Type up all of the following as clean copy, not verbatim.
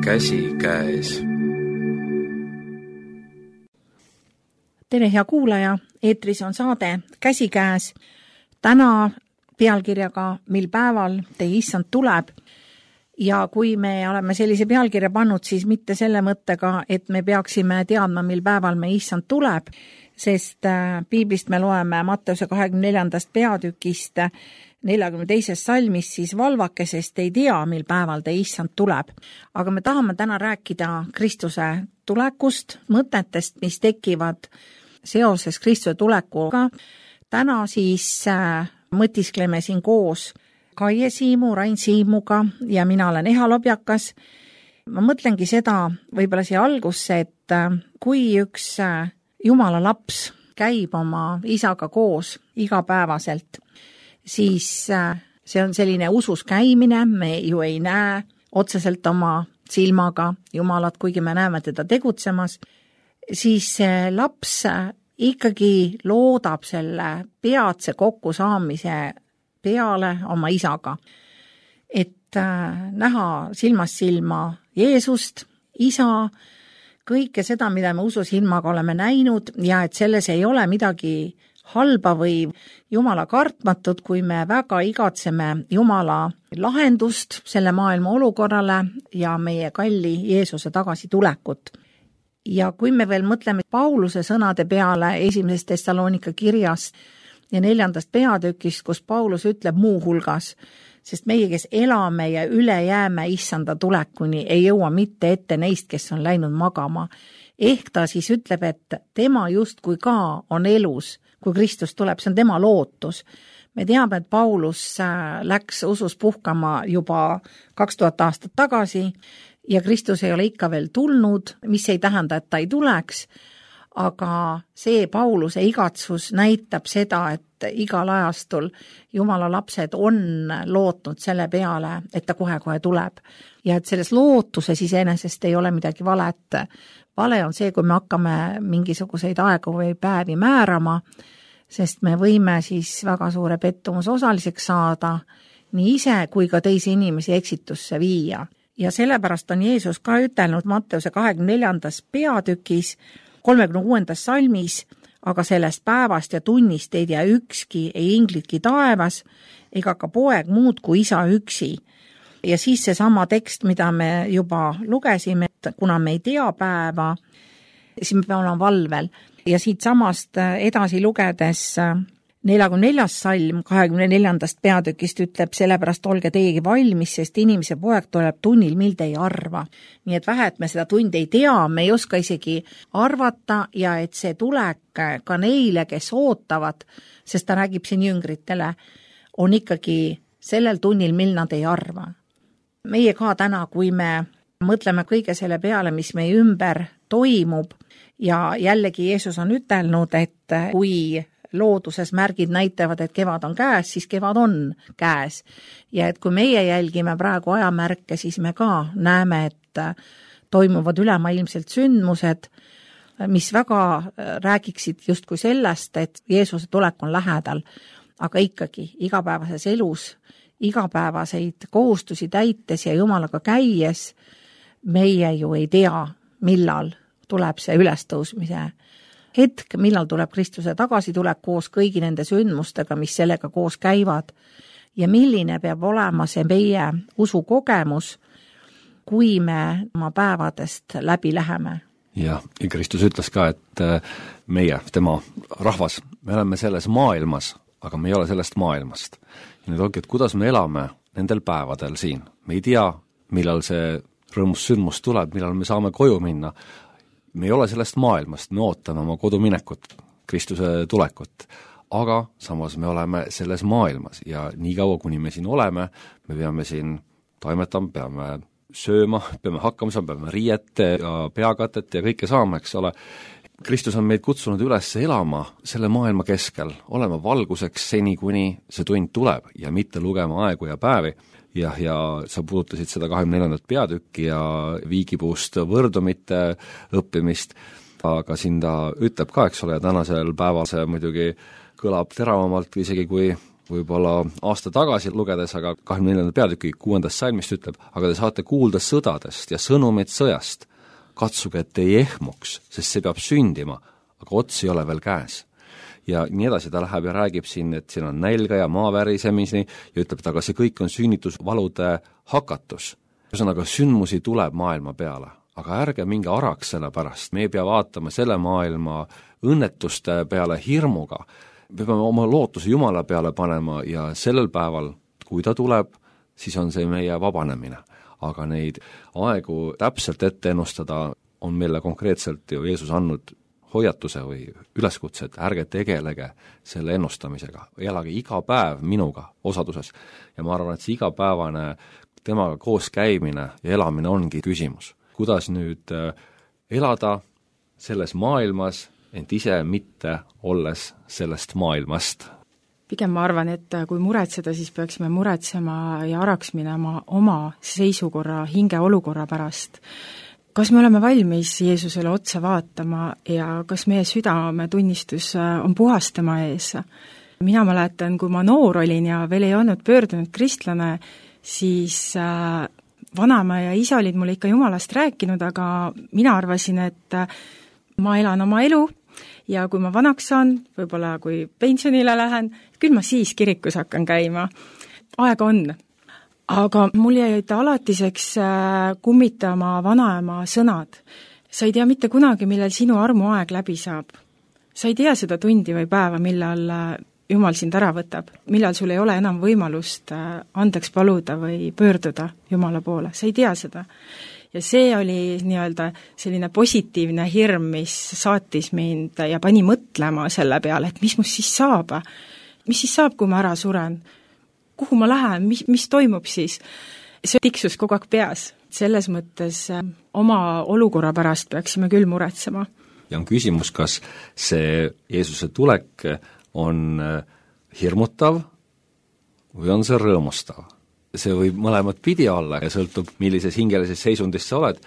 käsikäes. Tere, hea kuulaja, eetris on saade Käsikäes. Täna pealkirjaga Mil päeval teie issand tuleb. Ja kui me oleme sellise pealkirja pannud, siis mitte selle mõttega, et me peaksime teadma, mil päeval me issand tuleb, sest piiblist me loeme Matteuse 24. peatükist 42. salmist, siis valvake, sest ei tea, mil päeval te issand tuleb. Aga me tahame täna rääkida Kristuse tulekust, mõtetest, mis tekivad seoses Kristuse tulekuga. Täna siis mõtiskleme siin koos Kaie Siimu, Rain Siimuga ja mina olen Eha Lobjakas. Ma mõtlengi seda võib-olla siia algusse, et kui üks Jumala laps käib oma isaga koos igapäevaselt, siis see on selline usus käimine, me ju ei näe otseselt oma silmaga Jumalat, kuigi me näeme teda tegutsemas, siis see laps ikkagi loodab selle peatse kokkusaamise peale oma isaga. Et näha silmast silma Jeesust, isa, kõike seda, mida me ususilmaga oleme näinud ja et selles ei ole midagi halba või Jumala kartmatut, kui me väga igatseme Jumala lahendust selle maailma olukorrale ja meie kalli Jeesuse tagasitulekut. Ja kui me veel mõtleme Pauluse sõnade peale 1. Thessalonika kirjast ja 4. peatükist, kus Paulus ütleb muu hulgas, sest meie, kes elame ja üle jääme issanda tulekuni, ei jõua mitte ette neist, kes on läinud magama. Ehk ta siis ütleb, et tema justkui ka on elus, kui Kristus tuleb, see on tema lootus. Me teame, et Paulus läks usus puhkama juba 2000 aastat tagasi ja Kristus ei ole ikka veel tulnud, mis ei tähenda, et ta ei tuleks, aga see Pauluse igatsus näitab seda, et igal ajastul Jumala lapsed on lootnud selle peale, et ta kohe-kohe tuleb. Ja et selles lootuses iseenesest ei ole midagi valet. Vale on see, kui me hakkame mingisuguseid aegu või päevi määrama, sest me võime siis väga suure pettumuse osaliseks saada, nii ise kui ka teisi inimesi eksitusse viia. Ja sellepärast on Jeesus ka ütelnud Matteuse 24. peatükis 36. salmis, aga sellest päevast ja tunnist ei tea ükski, ei inglitki taevas, ega ka poeg muud kui isa üksi. Ja siis seesama tekst, mida me juba lugesime, et kuna me ei tea päeva, siis me peame olema valvel. Ja siit samast edasi lugedes 44. salm 24. peatükist ütleb, sellepärast olge teiegi valmis, sest inimese poeg tuleb tunnil, mil te ei arva. Nii et vähe, et me seda tundi ei tea, me ei oska isegi arvata ja et see tulek ka neile, kes ootavad, sest ta räägib siin jüngritele, on ikkagi sellel tunnil, mil nad ei arva. Meie ka täna, kui me mõtleme kõige selle peale, mis meie ümber toimub ja jällegi Jeesus on ütelnud, et kui looduses märgid näitavad, et kevad on käes, siis kevad on käes. Ja et kui meie jälgime praegu ajamärke, siis me ka näeme, et toimuvad ülemaailmselt sündmused, mis väga räägiksid justkui sellest, et Jeesuse tulek on lähedal, aga ikkagi igapäevases elus, igapäevaseid kohustusi täites ja Jumalaga käies, meie ju ei tea, millal tuleb see ülestõusmise hetk, millal tuleb Kristuse tagasitulek koos kõigi nende sündmustega, mis sellega koos käivad ja milline peab olema see meie usukogemus, kui me oma päevadest läbi läheme. Ja Kristus ütles ka, et meie, tema rahvas, me oleme selles maailmas, aga me ei ole sellest maailmast. Ja nüüd ongi, et kuidas me elame nendel päevadel siin. Me ei tea, millal see rõõmus sündmus tuleb, millal me saame koju minna. Me ei ole sellest maailmast, me ootame oma koduminekut, Kristuse tulekut, aga samas me oleme selles maailmas ja nii kaua, kuni me siin oleme, me peame siin toimetama, peame sööma, peame hakkama saama, peame riiete ja peakatet ja kõike saama, eks ole. Kristus on meid kutsunud üles elama selle maailma keskel, olema valguseks seni, kuni see tund tuleb ja mitte lugema aegu ja päevi. Ja sa puudutasid seda 24. peatükki ja viigipuust võrdumite õppimist, aga siin ta ütleb ka, eks ole, ja tänasel päeval see muidugi kõlab teravamalt isegi kui võib-olla aasta tagasi lugedes, aga 24. peatüki 6. salmist ütleb, aga te saate kuulda sõdadest ja sõnumeid sõjast. Katsuge, et ei ehmuks, sest see peab sündima, aga ots ei ole veel käes. Ja nii edasi ta läheb ja räägib siin, et siin on nälga ja maavärisemisi ja ütleb, et aga see kõik on sünnitusvalude hakatus. Ühesõnaga, sündmusi tuleb maailma peale, aga ärge minge araks selle pärast. Me ei pea vaatama selle maailma õnnetuste peale hirmuga. Me peame oma lootuse Jumala peale panema ja sellel päeval, kui ta tuleb, siis on see meie vabanemine. Aga neid aegu täpselt ette ennustada on meile konkreetselt ju Jeesus andnud hoiatuse või üleskutse, et ärge tegelege selle ennustamisega, elage iga päev minuga osaduses. Ja ma arvan, et see igapäevane temaga koos käimine ja elamine ongi küsimus. Kuidas nüüd elada selles maailmas, ent ise mitte olles sellest maailmast? Pigem ma arvan, et kui muretseda, siis peaksime muretsema ja araks minema oma seisukorra, hingeolukorra pärast. Kas me oleme valmis Jeesusele otsa vaatama ja kas meie südametunnistus on puhas tema ees? Mina mäletan, kui ma noor olin ja veel ei olnud pöördunud kristlane, siis vanaema ja isa olid mulle ikka Jumalast rääkinud, aga mina arvasin, et ma elan oma elu ja kui ma vanaks saan, võib-olla kui pensionile lähen, küll ma siis kirikus hakkan käima. Aega on. Aga mul jäid alatiseks kummitama vanaema sõnad. Sa ei tea mitte kunagi, millal sinu armuaeg läbi saab. Sa ei tea seda tundi või päeva, millal Jumal sind ära võtab, millal sul ei ole enam võimalust andeks paluda või pöörduda Jumala poole. Sa ei tea seda. Ja see oli nii-öelda selline positiivne hirm, mis saatis mind ja pani mõtlema selle peale, et mis must siis saab? Mis siis saab, kui ma ära suren? Kuhu ma lähen? Mis toimub siis? See tiksus kogu aeg peas. Selles mõttes oma olukorra pärast peaksime küll muretsema. Ja on küsimus, kas see Jeesuse tulek on hirmutav või on see rõõmustav? See võib mõlemad pidi olla ja sõltub, millises hingelises seisundis sa oled.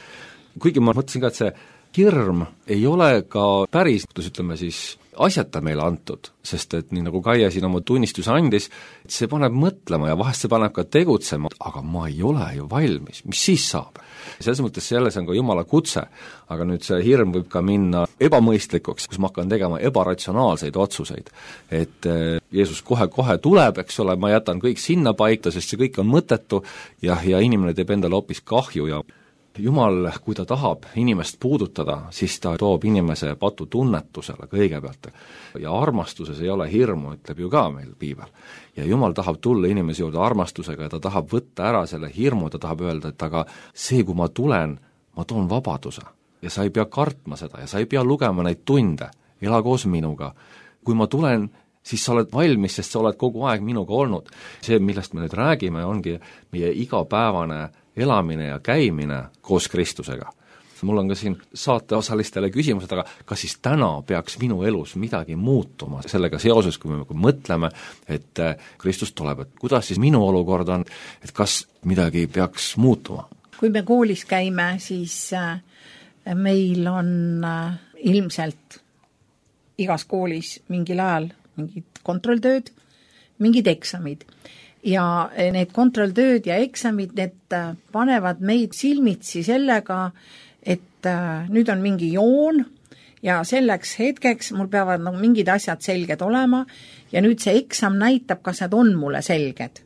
Kuigi ma mõtlesin ka, et see hirm ei ole ka päris, ütleme siis, asjata meile antud, sest et nii nagu Kaia siin oma tunnistuse andis, et see paneb mõtlema ja vahest see paneb ka tegutsema, aga ma ei ole ju valmis, mis siis saab? Selles mõttes selles on ka Jumala kutse, aga nüüd see hirm võib ka minna ebamõistlikuks, kus ma hakkan tegema ebaratsionaalseid otsuseid. Et Jeesus kohe tuleb, eks ole, ma jätan kõik sinna paika, sest see kõik on mõttetu ja inimene teeb endale hoopis kahju ja Jumal, kui ta tahab inimest puudutada, siis ta toob inimese patu tunnetusele kõigepealt. Ja armastuses ei ole hirmu, ütleb ju ka meil piibel. Ja Jumal tahab tulla inimese juurde armastusega ja ta tahab võtta ära selle hirmu, ta tahab öelda, et aga see, kui ma tulen, ma toon vabaduse. Ja sa ei pea kartma seda ja sa ei pea lugema neid tunde, ela koos minuga. Kui ma tulen, siis sa oled valmis, sest sa oled kogu aeg minuga olnud. See, millest me nüüd räägime, ongi meie igapäevane elamine ja käimine koos Kristusega. Mul on ka siin saateosalistele küsimused, aga kas siis täna peaks minu elus midagi muutuma sellega seoses, kui me mõtleme, et Kristus tuleb, et kuidas siis minu olukord on, et kas midagi peaks muutuma? Kui me koolis käime, siis meil on ilmselt igas koolis mingil ajal mingid kontrolltööd, mingid eksamid. Ja need kontrolltööd ja eksamid, need panevad meid silmitsi sellega, et nüüd on mingi joon ja selleks hetkeks mul peavad mingid asjad selged olema ja nüüd see eksam näitab, kas need on mulle selged.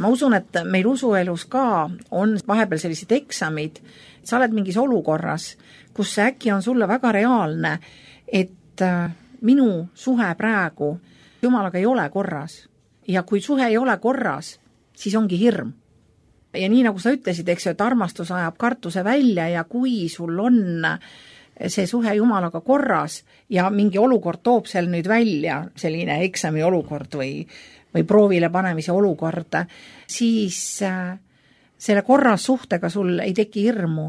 Ma usun, et meil usuelus ka on vahepeal sellised eksamid, sa oled mingis olukorras, kus see äkki on sulle väga reaalne, et minu suhe praegu Jumalaga ei ole korras. Ja kui suhe ei ole korras, siis ongi hirm. Ja nii nagu sa ütlesid, eks ju, et armastus ajab kartuse välja ja kui sul on see suhe Jumalaga korras ja mingi olukord toob seal nüüd välja, selline eksami olukord või proovile panemise olukord, siis selle korras suhtega sul ei teki hirmu.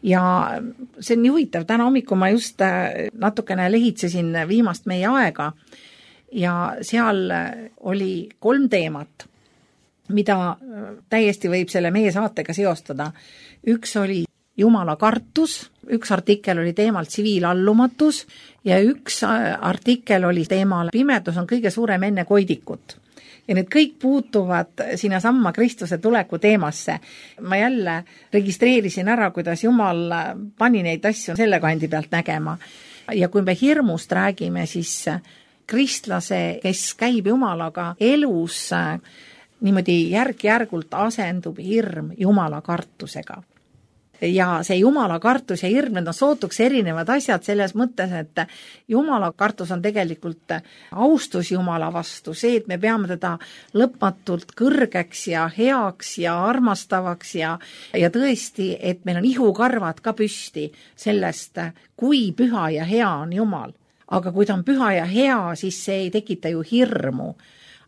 Ja see on nii huvitav, täna hommikul ma just natukene lehitsesin viimast meie aega ja seal oli 3 teemat, mida täiesti võib selle meie saatega seostada. Üks oli Jumala kartus, üks artikkel oli teemal tsiviilallumatus ja üks artikkel oli teemal pimedus on kõige suurem enne koidikut. ja need kõik puutuvad sinna samma Kristuse tuleku teemasse. Ma jälle registreerisin ära, kuidas Jumal pani neid asju selle kandi pealt nägema. Ja kui me hirmust räägime, siis kristlase, kes käib Jumalaga elus, niimoodi järk-järgult asendub hirm Jumala kartusega. Ja see Jumala kartus ja hirm, need on sootuks erinevad asjad selles mõttes, et Jumala kartus on tegelikult austus Jumala vastu, see, et me peame teda lõpmatult kõrgeks ja heaks ja armastavaks ja tõesti, et meil on ihukarvad ka püsti sellest, kui püha ja hea on Jumal. Aga kui ta on püha ja hea, siis see ei tekita ju hirmu,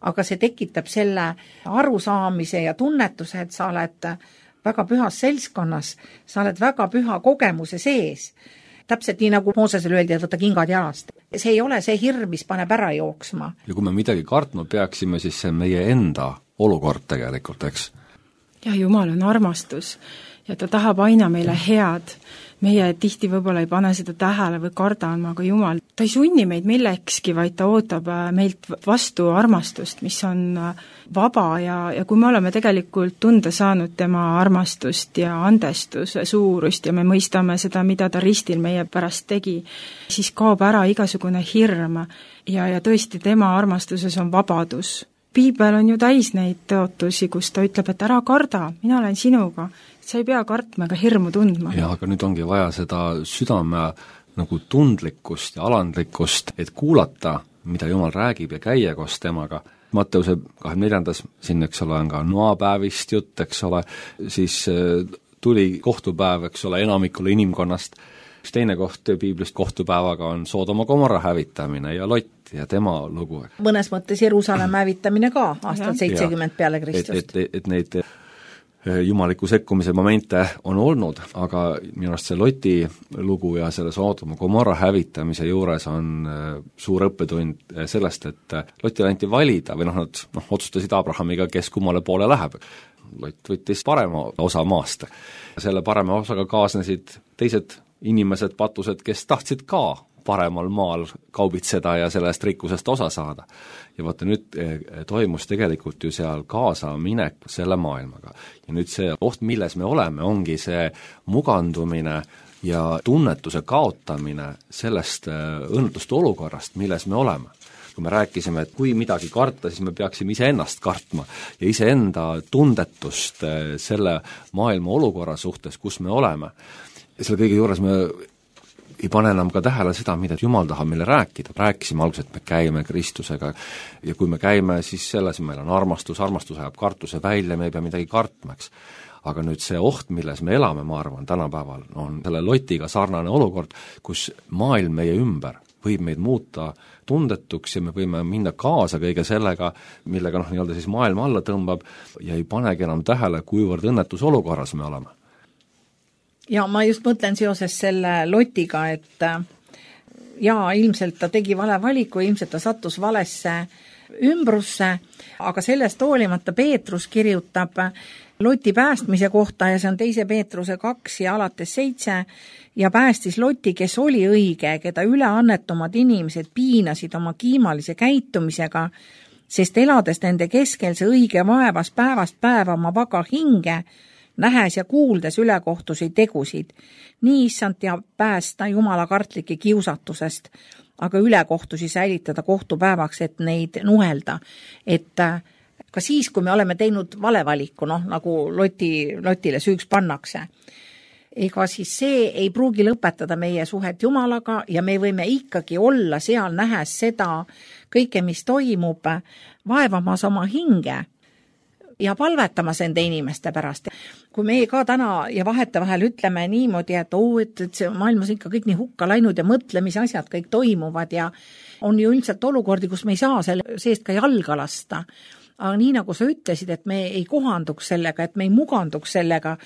aga see tekitab selle arusaamise ja tunnetuse, et sa oled väga pühas seltskonnas, sa oled väga püha kogemuse sees. Täpselt nii, nagu Moosesele öeldi, et võtta kingad jalast. See ei ole see hirm, mis paneb ära jooksma. Ja kui me midagi kartma peaksime, siis see meie enda olukord tegelikult, eks? Ja Jumal on armastus ja ta tahab aina meile head. Meie tihti võib-olla ei pane seda tähele või kardama, aga Jumal, ta ei sunni meid millekski, vaid ta ootab meilt vastu armastust, mis on vaba ja kui me oleme tegelikult tunda saanud tema armastust ja andestuse suurust ja me mõistame seda, mida ta ristil meie pärast tegi, siis kaob ära igasugune hirm ja tõesti tema armastuses on vabadus. Piibel on ju täis neid tõotusi, kus ta ütleb, et ära karda, mina olen sinuga, sa ei pea kartma ega hirmu tundma. Ja aga nüüd ongi vaja seda südame nagu tundlikkust ja alandlikkust, et kuulata, mida Jumal räägib ja käia koos temaga. Matteuse 24. siin, eks ole, on ka noapäevist jutt, eks ole, siis tuli kohtupäev, eks ole, enamikule inimkonnast. Üks teine koht piiblist kohtupäevaga on Soodoma Gomorra hävitamine ja Lot ja tema lugu. Mõnes mõttes Jeruusalemma hävitamine ka aastal 70 peale Kristust. Et neid jumaliku sekkumise momente on olnud, aga minu arust see Loti lugu ja selle Soodoma Gomorra hävitamise juures on suur õppetund sellest, et Lotile anti valida või nad otsustasid Abrahamiga, kes kummale poole läheb. Lot võttis parema osa maast. Selle parema osaga kaasnesid teised inimesed, patused, kes tahtsid ka paremal maal kaubitseda ja sellest rikkusest osa saada. Ja vaata, nüüd toimus tegelikult ju seal kaasaminek selle maailmaga. Ja nüüd see oht, milles me oleme, ongi see mugandumine ja tunnetuse kaotamine sellest õnnetust olukorrast, milles me oleme. Kui me rääkisime, et kui midagi karta, siis me peaksime iseennast kartma ja iseenda tundetust selle maailma olukorra suhtes, kus me oleme. Ja selle kõige juures me ei pane enam ka tähele seda, mida Jumal tahab meile rääkida. Rääkisime alguses, et me käime Kristusega ja kui me käime, siis selles meil on armastus ajab kartuse välja, me ei pea midagi kartmaks. Aga nüüd see oht, milles me elame, ma arvan, tänapäeval on selle Lotiga sarnane olukord, kus maailm meie ümber võib meid muuta tundetuks ja me võime minna kaasa kõige sellega, millega nii-öelda siis maailma alla tõmbab ja ei panegi enam tähele, kuivõrd õnnetus olukorras me oleme. Ja ma just mõtlen seoses selle Lotiga, et ilmselt ta tegi vale valiku, ilmselt ta sattus valesse ümbrusse, aga sellest hoolimata Peetrus kirjutab Loti päästmise kohta ja see on 2. Peetruse 2 ja alates 7 ja päästis Loti, kes oli õige, keda üleannetumad inimesed piinasid oma kiimalise käitumisega, sest elades nende keskel see õige vaevas päevast päeva oma vaga hinge, nähes ja kuuldes ülekohtusi tegusid. Nii issand ja päästa Jumala kartlike kiusatusest, aga ülekohtusi säilitada kohtupäevaks, et neid nuhelda. Et ka siis, kui me oleme teinud valevaliku, nagu Lotile süüks pannakse, ega siis see ei pruugi lõpetada meie suhet Jumalaga ja me võime ikkagi olla seal nähes seda kõike, mis toimub, vaevamas oma hinge ja palvetamas enda inimeste pärast. Kui me ka täna ja vahetevahel ütleme niimoodi, et see maailmas ikka kõik nii hukka läinud ja mõtle, mis asjad kõik toimuvad ja on ju üldiselt olukordi, kus me ei saa selle seest ka jalga lasta. Aga nii nagu sa ütlesid, et me ei kohanduks sellega, et me ei muganduks sellega,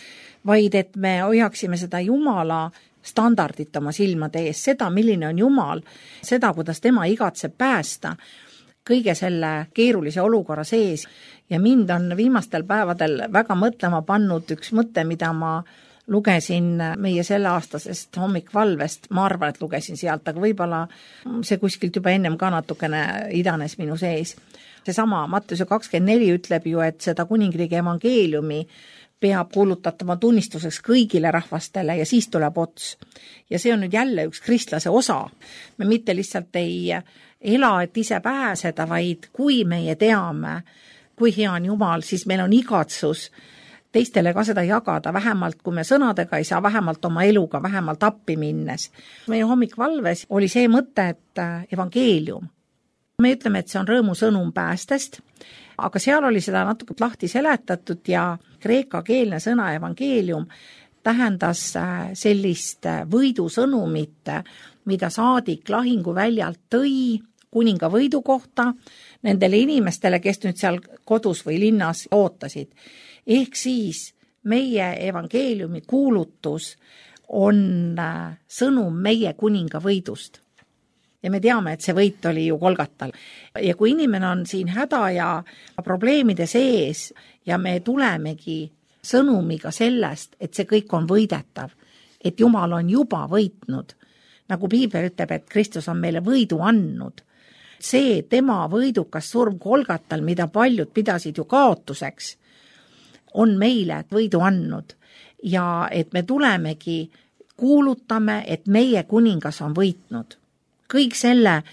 vaid et me hoiaksime seda Jumala standardit oma silmade ees, seda, milline on Jumal, seda, kuidas tema igatseb päästa kõige selle keerulise olukorra sees. Ja mind on viimastel päevadel väga mõtlema pannud üks mõte, mida ma lugesin meie selleaastasest hommikvalvest, ma arvan, et lugesin sealt, aga võib-olla see kuskilt juba ennem ka natukene idanes minu sees. Seesama Matteuse 24 ütleb ju, et seda kuningriigi evangeeliumi peab kuulutatama tunnistuseks kõigile rahvastele ja siis tuleb ots. Ja see on nüüd jälle üks kristlase osa. Me mitte lihtsalt ei ela, et ise pääseda, vaid kui meie teame, kui hea on Jumal, siis meil on igatsus teistele ka seda jagada, vähemalt kui me sõnadega ei saa, vähemalt oma eluga, vähemalt appi minnes. Meie hommikvalves oli see mõte, et evangeelium. Me ütleme, et see on rõõmusõnum päästest, aga seal oli seda natuke lahti seletatud ja kreekakeelne sõna evangeelium tähendas sellist võidusõnumit, mida saadik lahinguväljalt tõi kuninga võidu kohta nendele inimestele, kes nüüd seal kodus või linnas ootasid. Ehk siis meie evangeeliumi kuulutus on sõnum meie kuninga võidust. Ja me teame, et see võit oli ju Golgatal. Ja kui inimene on siin häda ja probleemide sees ja me tulemegi sõnumiga sellest, et see kõik on võidetav, et Jumal on juba võitnud, nagu Piibel ütleb, et Kristus on meile võidu andnud. See tema võidukas surm Golgatal, mida paljud pidasid ju kaotuseks, on meile võidu andnud ja et me tulemegi, kuulutame, et meie kuningas on võitnud. Kõik selle,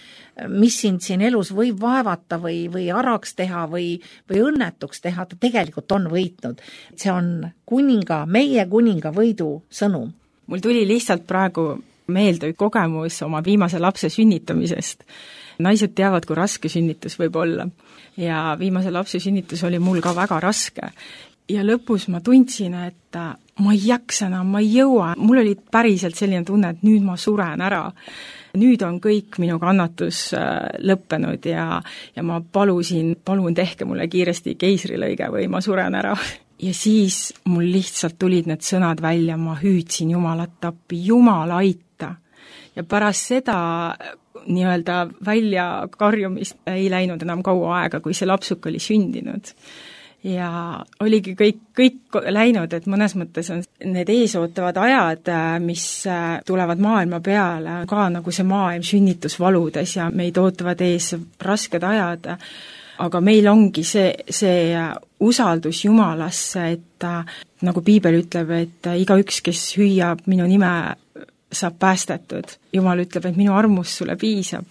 mis siin elus võib vaevata või araks teha või õnnetuks teha, ta tegelikult on võitnud. See on meie kuninga võidu sõnum. Mul tuli lihtsalt praegu meelde kogemus oma viimase lapse sünnitamisest. Naised teavad, kui raske sünnitus võib olla. Ja viimase lapse sünnitus oli mul ka väga raske. Ja lõpus ma tundsin, et ma ei jaksa enam, ma ei jõua. Mul oli päriselt selline tunne, et nüüd ma suren ära. Nüüd on kõik minu kannatus lõppenud ja ma palun tehke mulle kiiresti keisrilõige või ma suren ära. Ja siis mul lihtsalt tulid need sõnad välja, ma hüüdsin Jumalat appi, Jumal aita. Ja pärast seda nii-öelda välja karjumist ei läinud enam kaua aega, kui see lapsuk oli sündinud. Ja oligi kõik läinud, et mõnes mõttes on need eesootavad ajad, mis tulevad maailma peale, ka nagu see maailm sünnitusvaludes ja meid ootavad ees rasked ajad, aga meil ongi see usaldus Jumalasse, et nagu Piibel ütleb, et igaüks, kes hüüab minu nime, saab päästetud. Jumal ütleb, et minu armus sulle piisab.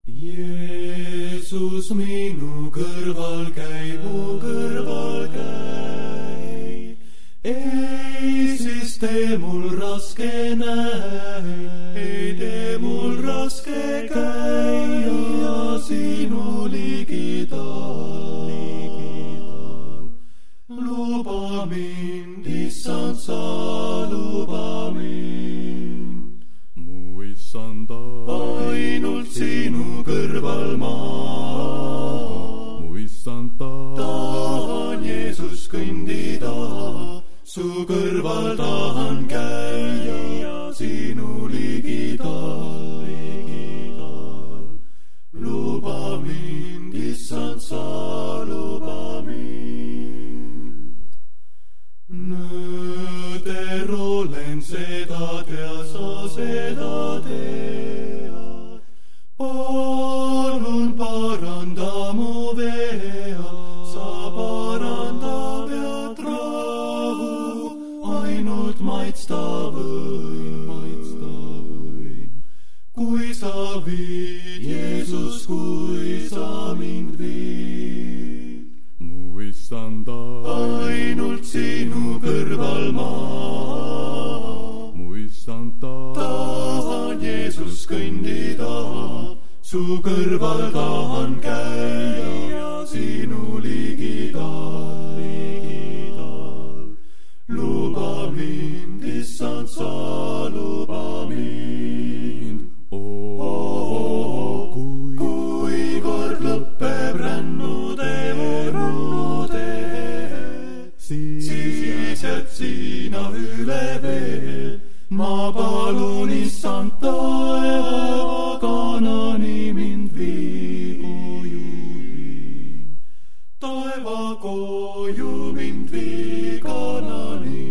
Jeesus minu kõrval käi, mu kõrval käi. Ei siis tee mul raske näe, ei tee mul raske käia sinu ligidal. Luba mind, Issand, sa luba mind. Mu Issanda, ainult sinu kõrval maa. Mu Issand, tahan Jeesus kõndida, su kõrval tahan käia sinu ligidal. Luba mind, Issand, sa luba mind. Nõder olen seda tea, sa seda tead. Palun paranda mu vea, sa paranda vead rahu, ainult maitsta võin. Kui sa viid, Jeesus, kui sa mind viid. Mu Issanda, ainult sinu kõrval maa. Mu Issanda, tahan Jeesus kõndida, su kõrval tahan käia sinu ligidal. Luba mind, Issand, sa luba mind. Kui kord lõpeb rännude, siis jääd sina üle veel. Ma palun, Issand, taeva Kanani mind vii. Taeva koju mind vii Kanani.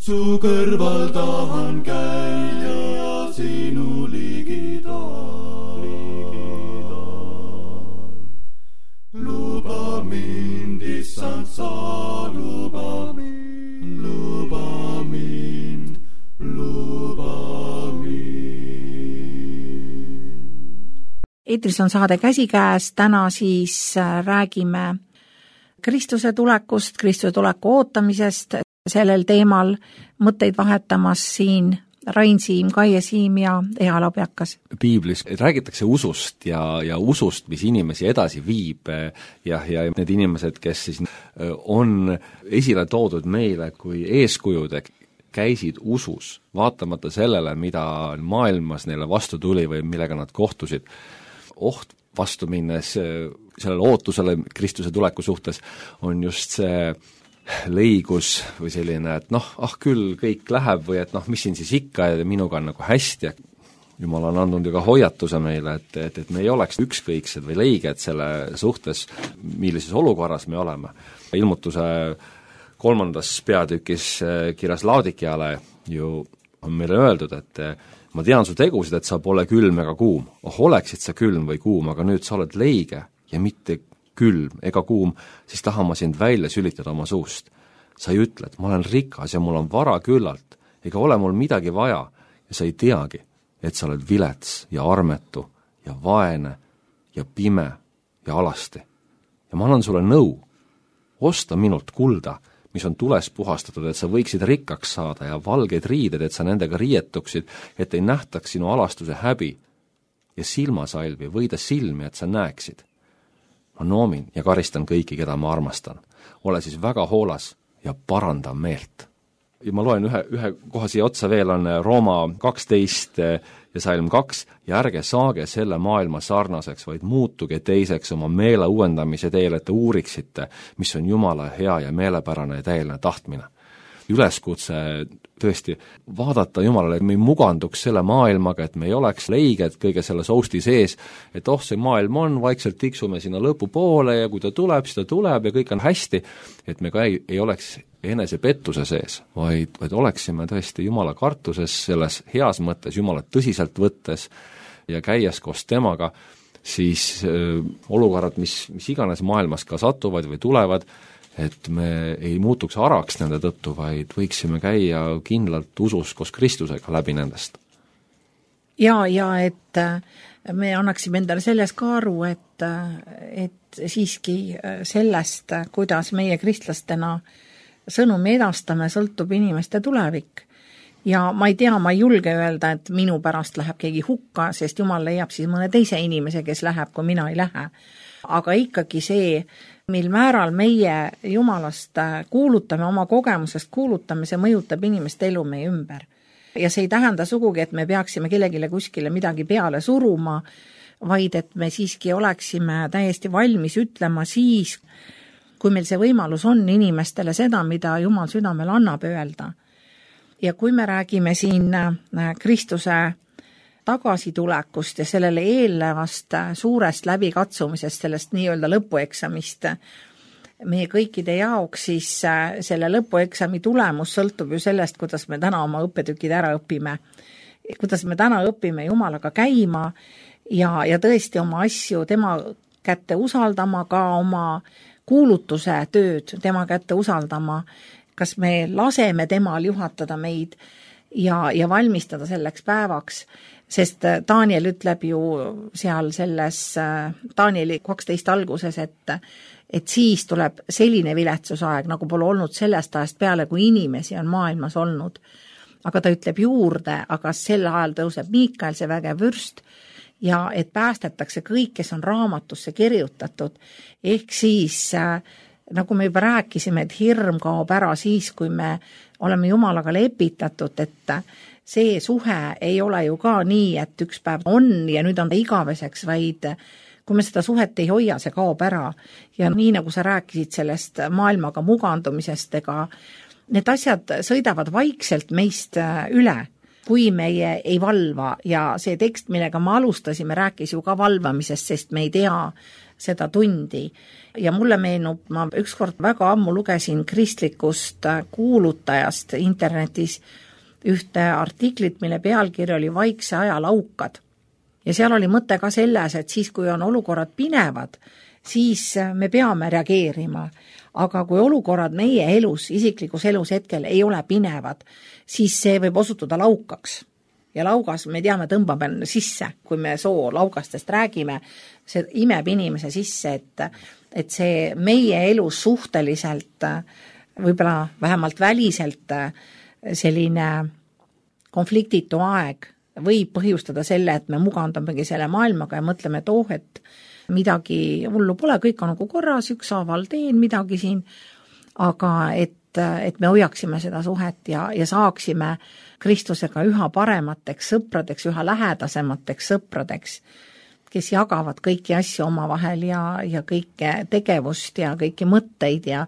su kõrval tahan käia, sinu ligidal. Luba mind, issand, sa luba mind, luba mind, luba mind. Eetris on saade Käsikäes, täna siis räägime Kristuse tulekust, Kristuse tuleku ootamisest, sellel teemal mõtteid vahetamas siin Rain Siim, Kaie Siim ja Ea Lobjakas. Piiblis räägitakse usust ja usust, mis inimesi edasi viib ja need inimesed, kes siis on esile toodud meile kui eeskujud, käisid usus, vaatamata sellele, mida maailmas neile vastu tuli või millega nad kohtusid. Oht vastu minnes sellele ootusele Kristuse tuleku suhtes on just see leigus või selline, et küll kõik läheb või et mis siin siis ikka ja minuga on nagu hästi. Jumal on andnud ju ka hoiatuse meile, et me ei oleks ükskõiksed või leiged selle suhtes, millises olukorras me oleme. Ilmutuse 3. peatükis kirjas Laodikiale ju on meile öeldud, et ma tean su tegusid, et sa pole külm ega kuum. Oleksid sa külm või kuum, aga nüüd sa oled leige ja mitte külm ega kuum, siis tahan ma sind välja sülitada oma suust. Sa ei ütle, et ma olen rikas ja mul on vara küllalt, ega ole mul midagi vaja ja sa ei teagi, et sa oled vilets ja armetu ja vaene ja pime ja alasti. Ja ma annan sulle nõu, osta minult kulda, mis on tules puhastatud, et sa võiksid rikkaks saada ja valgeid riided, et sa nendega riietuksid, et ei nähtaks sinu alastuse häbi ja silmasalvi võida silmi, et sa näeksid. Ma noomin ja karistan kõiki, keda ma armastan. Ole siis väga hoolas ja paranda meelt. Ja ma loen ühe koha siia otsa veel on Rooma 12 ja Salm 2 ja ärge saage selle maailma sarnaseks, vaid muutuge teiseks oma meele uuendamise teel, et te uuriksite, mis on Jumala hea ja meelepärane ja täieline tahtmine. Üleskutse tõesti vaadata Jumalale, et me ei muganduks selle maailmaga, et me ei oleks leiged kõige selle sousti sees, et see maailm on, vaikselt tiksume sinna lõpu poole ja kui ta tuleb, siis ta tuleb ja kõik on hästi, et me ka ei oleks enese pettuse sees, vaid oleksime tõesti Jumala kartuses, selles heas mõttes, Jumalat tõsiselt võttes ja käies koos temaga, siis olukorrad, mis iganes maailmas ka satuvad või tulevad, et me ei muutuks araks nende tõttu, vaid võiksime käia kindlalt usus koos Kristusega läbi nendest. Ja et me annaksime endale selles ka aru, et siiski sellest, kuidas meie kristlastena sõnumi edastame, sõltub inimeste tulevik. Ja ma ei tea, ma ei julge öelda, et minu pärast läheb keegi hukka, sest Jumal leiab siis mõne teise inimese, kes läheb, kui mina ei lähe. Aga ikkagi see, mil määral meie Jumalast kuulutame, oma kogemusest kuulutame, see mõjutab inimeste elu meie ümber. Ja see ei tähenda sugugi, et me peaksime kellegile kuskile midagi peale suruma, vaid et me siiski oleksime täiesti valmis ütlema siis, kui meil see võimalus on inimestele seda, mida Jumal südamel annab öelda. Ja kui me räägime siin Kristuse tagasitulekust ja sellele eelnevast suurest läbikatsumisest, sellest nii-öelda lõpueksamist meie kõikide jaoks, siis selle lõpueksami tulemus sõltub ju sellest, kuidas me täna oma õppetükid ära õpime. Kuidas me täna õpime Jumalaga käima ja tõesti oma asju tema kätte usaldama, ka oma kuulutuse tööd tema kätte usaldama, kas me laseme temal juhatada meid ja valmistada selleks päevaks, sest Daniel ütleb ju seal selles Danieli 12 alguses, et siis tuleb selline viletsusaeg, nagu pole olnud sellest ajast peale, kui inimesi on maailmas olnud. Aga ta ütleb juurde, aga sel ajal tõuseb Miikael, see vägev vürst, ja et päästetakse kõik, kes on raamatusse kirjutatud. Ehk siis, nagu me juba rääkisime, et hirm kaob ära siis, kui me oleme Jumalaga lepitatud, et see suhe ei ole ju ka nii, et üks päev on ja nüüd on ta igaveseks, vaid kui me seda suhet ei hoia, see kaob ära. Ja nii nagu sa rääkisid sellest maailmaga mugandumisest, ega need asjad sõidavad vaikselt meist üle. kui meie ei valva ja see tekst, millega me alustasime, rääkis ju ka valvamisest, sest me ei tea seda tundi. Ja mulle meenub, ma ükskord väga ammu lugesin kristlikust kuulutajast internetis ühte artiklit, mille pealkiri oli Vaikse aja laukad. Ja seal oli mõte ka selles, et siis, kui on olukorrad pinevad, siis me peame reageerima. Aga kui olukorrad meie elus, isiklikus elus hetkel ei ole pinevad, siis see võib osutuda laukaks. Ja laugas, me teame, tõmbab sisse, kui me laugastest räägime, see imeb inimese sisse, et see meie elus suhteliselt, võib-olla vähemalt väliselt selline konfliktitu aeg võib põhjustada selle, et me mugandamegi selle maailmaga ja mõtleme, et midagi hullu pole, kõik on nagu korras, ükshaaval teen midagi siin, aga et me hoiaksime seda suhet ja saaksime Kristusega üha paremateks sõpradeks, üha lähedasemateks sõpradeks, kes jagavad kõiki asju omavahel ja kõike tegevust ja kõiki mõtteid ja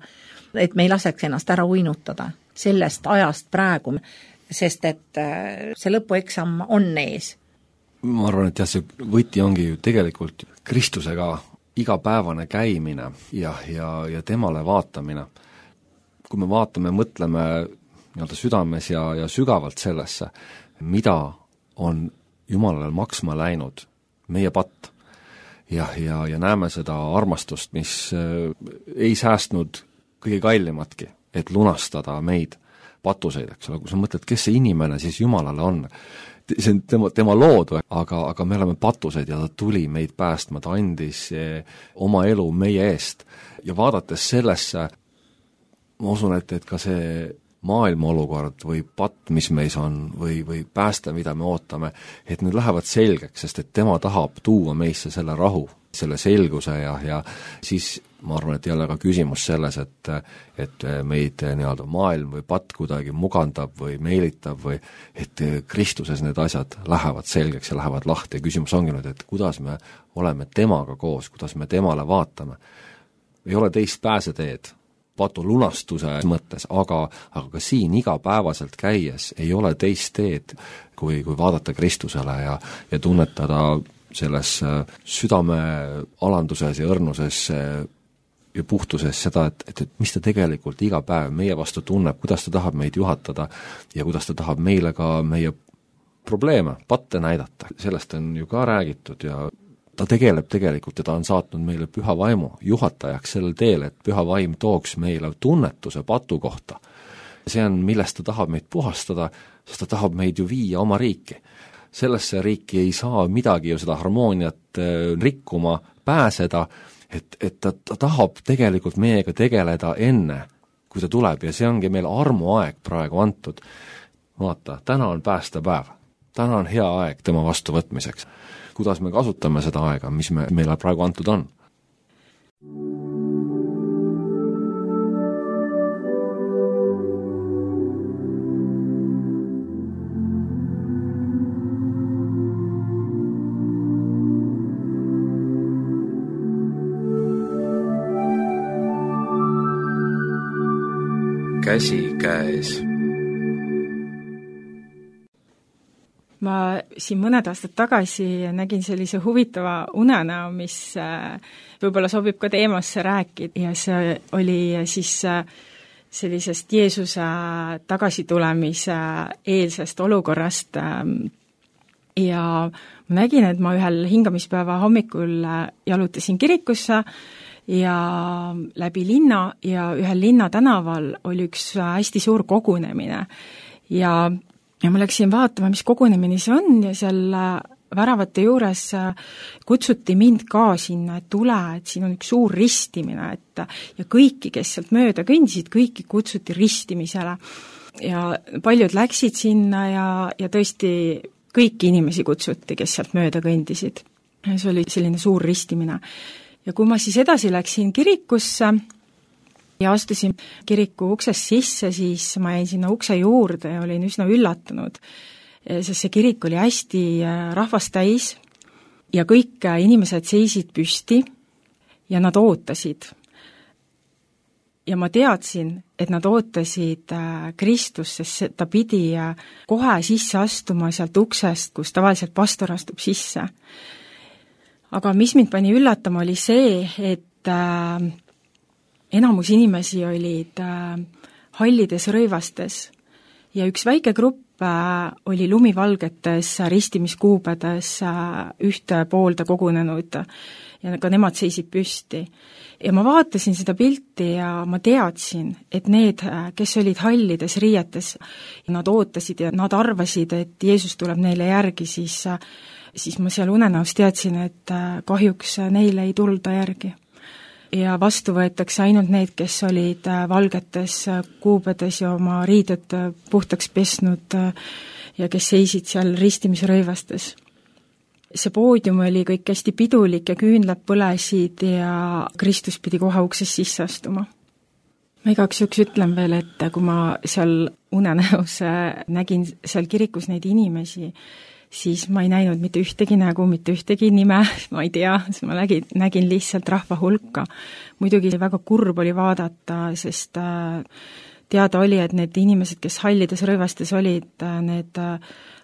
et me ei laseks ennast ära uinutada sellest ajast praegu, sest et see lõpueksam on ees. Ma arvan, et jah, see võti ongi ju tegelikult Kristusega igapäevane käimine ja temale vaatamine. Kui me vaatame, mõtleme nii-öelda südames ja sügavalt sellesse, mida on Jumalale maksma läinud meie patt ja näeme seda armastust, mis ei säästnud kõige kallimatki, et lunastada meid patuseid, eks ole, kui sa mõtled, kes see inimene siis Jumalale on, see on tema loodu, aga me oleme patused ja ta tuli meid päästma, ta andis oma elu meie eest ja vaadates sellesse, ma usun, et ka see maailma olukord või patt, mis meis on, või pääste, mida me ootame, et need lähevad selgeks, sest et tema tahab tuua meisse selle rahu, selle selguse ja siis ma arvan, et jälle ka küsimus selles, et meid nii-öelda maailm või patt kuidagi mugandab või meelitab või et Kristuses need asjad lähevad selgeks ja lähevad lahti ja küsimus ongi nüüd, et kuidas me oleme temaga koos, kuidas me temale vaatame. Ei ole teist pääseteed patu lunastuse mõttes, aga ka siin igapäevaselt käies ei ole teist teed, kui vaadata Kristusele ja tunnetada selles südame alanduses ja õrnuses ja puhtuses seda, et mis ta tegelikult iga päev meie vastu tunneb, kuidas ta tahab meid juhatada ja kuidas ta tahab meile ka meie probleeme, patte näidata. Sellest on ju ka räägitud ja ta tegeleb tegelikult ja ta on saatnud meile püha vaimu juhatajaks sellel teel, et püha vaim tooks meile tunnetuse patu kohta. See on, millest ta tahab meid puhastada, sest ta tahab meid ju viia oma riiki. Sellesse riiki ei saa midagi ju seda harmooniat rikkuma pääseda, et ta tahab tegelikult meiega tegeleda enne, kui ta tuleb ja see ongi meil armuaeg praegu antud. Vaata, täna on päästepäev, täna on hea aeg tema vastuvõtmiseks. Kuidas me kasutame seda aega, mis meile praegu antud on? Käsi käes. Ma siin mõned aastad tagasi nägin sellise huvitava unenäo, mis võib-olla sobib ka teemasse rääkida ja see oli siis sellisest Jeesuse tagasitulemise eelsest olukorrast ja ma nägin, et ma ühel hingamispäeva hommikul jalutasin kirikusse ja läbi linna ja ühel linnatänaval oli üks hästi suur kogunemine ja ma läksin vaatama, mis kogunemine see on ja seal väravate juures kutsuti mind ka sinna, et tule, et siin on üks suur ristimine, ja kõiki, kes sealt mööda kõndisid, kõiki kutsuti ristimisele. Ja paljud läksid sinna ja tõesti kõiki inimesi kutsuti, kes sealt mööda kõndisid. See oli selline suur ristimine. Ja kui ma siis edasi läksin kirikusse, ja astusin kiriku uksest sisse, siis ma jäin sinna ukse juurde ja olin üsna üllatunud, sest see kirik oli hästi rahvast täis ja kõik inimesed seisid püsti ja nad ootasid. ja ma teadsin, et nad ootasid Kristust, sest ta pidi kohe sisse astuma sealt uksest, kus tavaliselt pastor astub sisse. Aga mis mind pani üllatama, oli see, et enamus inimesi olid hallides rõivastes ja üks väike grupp oli lumivalgetes ristimiskuubedes ühte poolde kogunenud ja ka nemad seisid püsti. Ja ma vaatasin seda pilti ja ma teadsin, et need, kes olid hallides riietes, nad ootasid ja nad arvasid, et Jeesus tuleb neile järgi, siis ma seal unenäos teadsin, et kahjuks neile ei tulda järgi. Ja vastu võetakse ainult need, kes olid valgetes kuubedes ja oma riided puhtaks pesnud ja kes seisid seal ristimisrõivastes. See poodium oli kõik hästi pidulik ja küünlad põlesid ja Kristus pidi kohe uksest sisse astuma. Ma igaks juhuks ütlen veel, et kui ma seal unenäos nägin seal kirikus neid inimesi, siis ma ei näinud mitte ühtegi nägu, mitte ühtegi nime, ma ei tea, siis ma nägin lihtsalt rahva hulka. Muidugi väga kurb oli vaadata, sest teada oli, et need inimesed, kes hallides rõivastes olid, need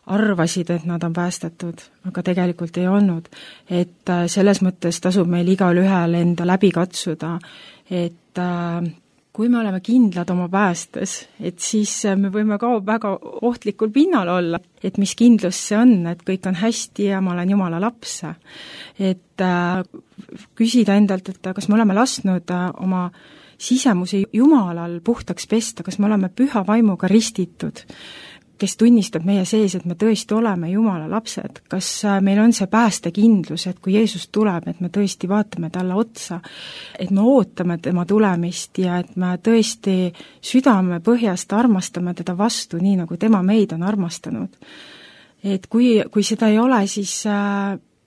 arvasid, et nad on päästetud, aga tegelikult ei olnud. Et selles mõttes tasub meil igal ühel enda läbi katsuda, et kui me oleme kindlad oma päästes, et siis me võime ka väga ohtlikul pinnal olla, et mis kindlus see on, et kõik on hästi ja ma olen Jumala laps. Et küsida endalt, et kas me oleme lasknud oma sisemuse Jumalal puhtaks pesta, kas me oleme püha vaimuga ristitud, kes tunnistab meie sees, et me tõesti oleme Jumala lapsed, kas meil on see päästekindlus, et kui Jeesus tuleb, et me tõesti vaatame talle otsa, et me ootame tema tulemist ja et me tõesti südame põhjast armastame teda vastu, nii nagu tema meid on armastanud. Et kui seda ei ole, siis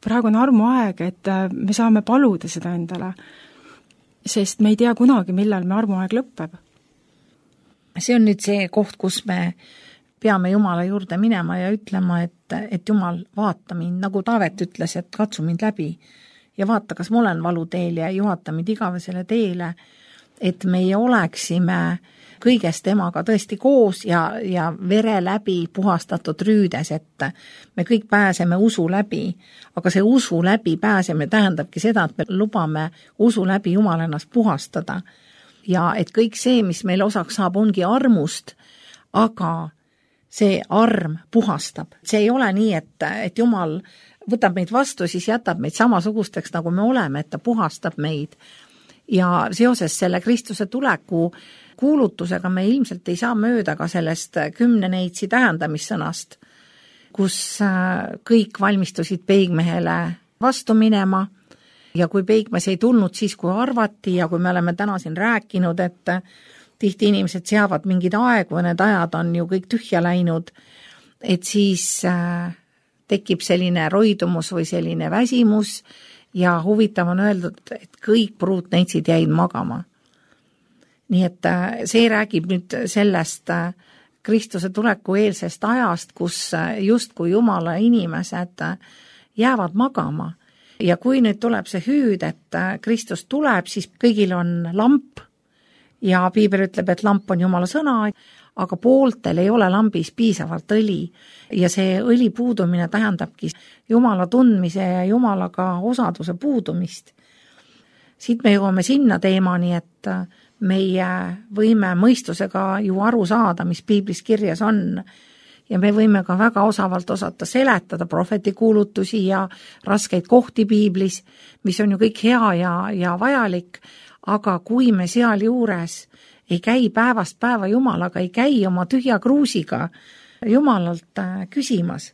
praegu on armuaeg, et me saame paluda seda endale, sest me ei tea kunagi, millal me armuaeg lõpeb. See on nüüd see koht, kus me peame Jumala juurde minema ja ütlema, et Jumal, vaata mind, nagu Taavet ütles, et katsu mind läbi ja vaata, kas ma olen valuteel ja juhata mind igavesele teele, et meie oleksime kõigest temaga tõesti koos ja vere läbi puhastatud rüüdes, et me kõik pääseme usu läbi, aga see usu läbi pääsemine tähendabki seda, et me lubame usu läbi Jumal ennast puhastada ja et kõik see, mis meil osaks saab, ongi armust, aga see arm puhastab. See ei ole nii, et Jumal võtab meid vastu, siis jätab meid samasugusteks, nagu me oleme, et ta puhastab meid. Ja seoses selle Kristuse tuleku kuulutusega me ilmselt ei saa mööda ka sellest 10 neitsi tähendamissõnast, kus kõik valmistusid peigmehele vastu minema ja kui peigmees ei tulnud siis, kui arvati ja kui me oleme täna siin rääkinud, et tihti inimesed seavad mingid aegu ja need ajad on ju kõik tühja läinud, et siis tekib selline roidumus või selline väsimus ja huvitav on öeldud, et kõik pruutneitsid jäid magama. Nii et see räägib nüüd sellest Kristuse tuleku eelsest ajast, kus justkui Jumala inimesed jäävad magama. Ja kui nüüd tuleb see hüüd, et Kristus tuleb, siis kõigil on lamp, ja Piibel ütleb, et lamp on Jumala sõna, aga pooltel ei ole lambis piisavalt õli ja see õli puudumine tähendabki Jumala tundmise ja Jumalaga osaduse puudumist. Siit me jõuame sinna teemani, et meie võime mõistusega ju aru saada, mis Piiblis kirjas on ja me võime ka väga osavalt osata seletada prohveti kuulutusi ja raskeid kohti Piiblis, mis on ju kõik hea ja vajalik, aga kui me seal juures ei käi päevast päeva Jumalaga, ei käi oma tühja kruusiga Jumalalt küsimas,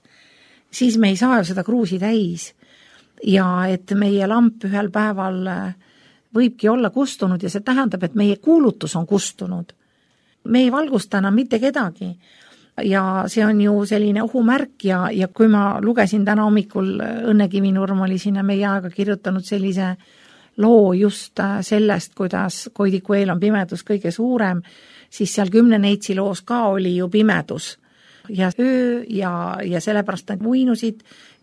siis me ei saa ju seda kruusi täis. Ja et meie lamp ühel päeval võibki olla kustunud ja see tähendab, et meie kuulutus on kustunud. Me ei valgusta enam mitte kedagi ja see on ju selline ohumärk ja kui ma lugesin täna hommikul, Õnne Kivinurm oli sinna meie aega kirjutanud sellise loo just sellest, kuidas Koidiku eel on pimedus kõige suurem, siis seal 10 neitsi loos ka oli ju pimedus ja öö ja sellepärast nad uinusid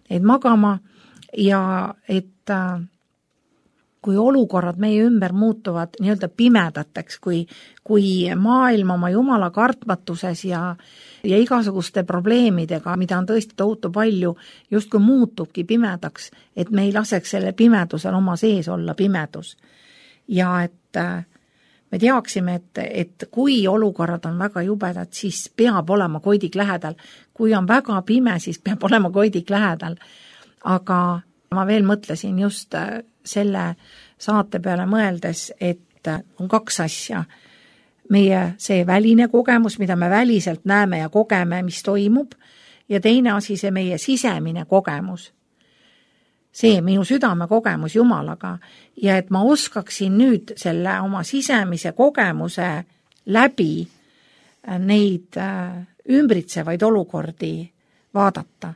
neid magama ja et kui olukorrad meie ümber muutuvad nii-öelda pimedateks, kui maailm oma jumala kartmatuses ja igasuguste probleemidega, mida on tõesti tohutu palju, justkui muutubki pimedaks, et me ei laseks selle pimedusel oma sees olla pimedus. Ja et me teaksime, et kui olukorrad on väga jubedad, siis peab olema koidik lähedal. Kui on väga pime, siis peab olema koidik lähedal. Aga ma veel mõtlesin just selle saate peale mõeldes, et on kaks asja. Meie see väline kogemus, mida me väliselt näeme ja kogeme, mis toimub, ja teine asi see meie sisemine kogemus. See minu südame kogemus Jumalaga ja et ma oskaksin nüüd selle oma sisemise kogemuse läbi neid ümbritsevaid olukordi vaadata.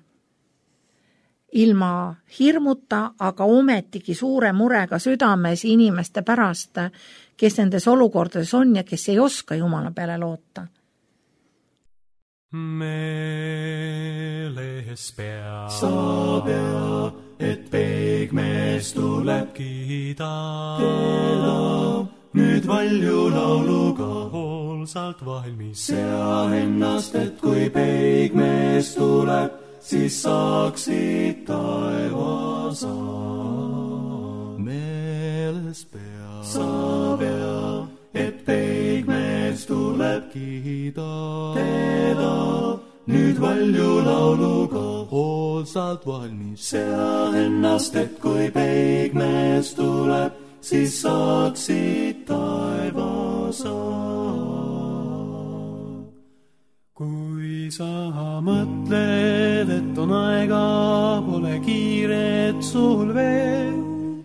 Ilma hirmuta, aga ometigi suure murega südames inimeste pärast, kes nendes olukordades on ja kes ei oska Jumala peale loota. Meeles pea, sa pea, et peigmees tuleb kiida. Teda nüüd valju lauluga hoolsalt valmis. Sea ennast, et kui peigmees tuleb, siis saaksid taevasa. Meeles pea, sa pea, et peigmees tuleb kiida. Teda nüüd valju lauluga hoolsalt valmis. Sea ennast, et kui peigmees tuleb, siis saaksid taevasa. Kui sa mõtled, et on aega, pole kiiret sul veel,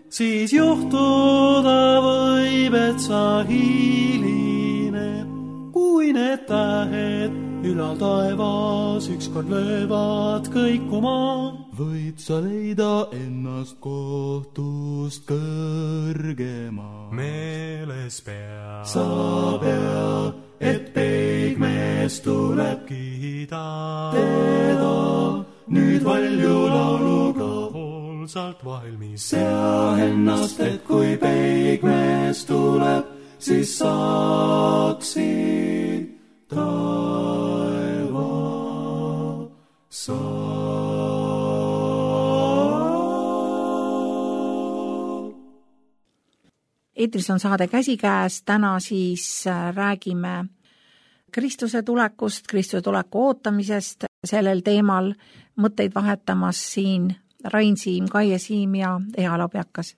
siis juhtuda võib, et sa hilineb, kui need tähed ülal taevas ükskord löövad kõikuma. Võid sa leida ennast kohtust kõrgema. Meeles pea, sa pea, et peigmees tuleb kiida. Teda nüüd valju lauluga hoolsalt valmis. Sea ennast, et kui peigmees tuleb, siis saaksid taevasa. Eetris on saade Käsikäes, täna siis räägime Kristuse tulekust, Kristuse tuleku ootamisest, sellel teemal mõtteid vahetamas siin Rain Siim, Kaie Siim ja Ea Labjakas.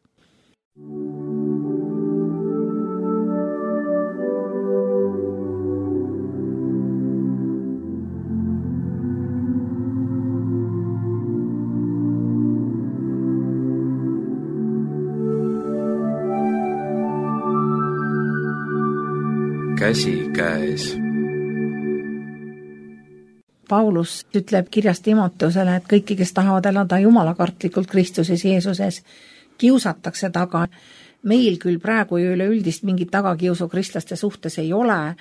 Käsikäes. Paulus ütleb kirjas Timoteusele, et kõiki, kes tahavad elada jumalakartlikult Kristuses Jeesuses, kiusatakse taga. Meil küll praegu ju üleüldist mingit tagakiusu kristlaste suhtes ei ole,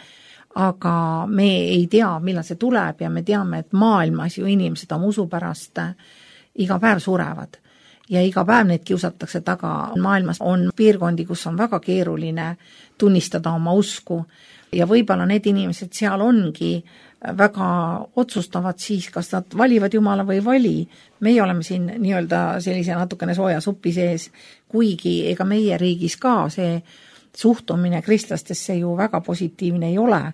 aga me ei tea, millal see tuleb ja me teame, et maailmas ju inimesed oma usu pärast iga päev surevad. Ja iga päev neid kiusatakse taga. Maailmas on piirkondi, kus on väga keeruline tunnistada oma usku ja võib-olla need inimesed seal ongi väga otsustavad siis, kas nad valivad Jumala või vali. Meie oleme siin nii-öelda sellise natukene sooja supi sees, kuigi ega meie riigis ka see suhtumine kristlastesse ju väga positiivne ei ole,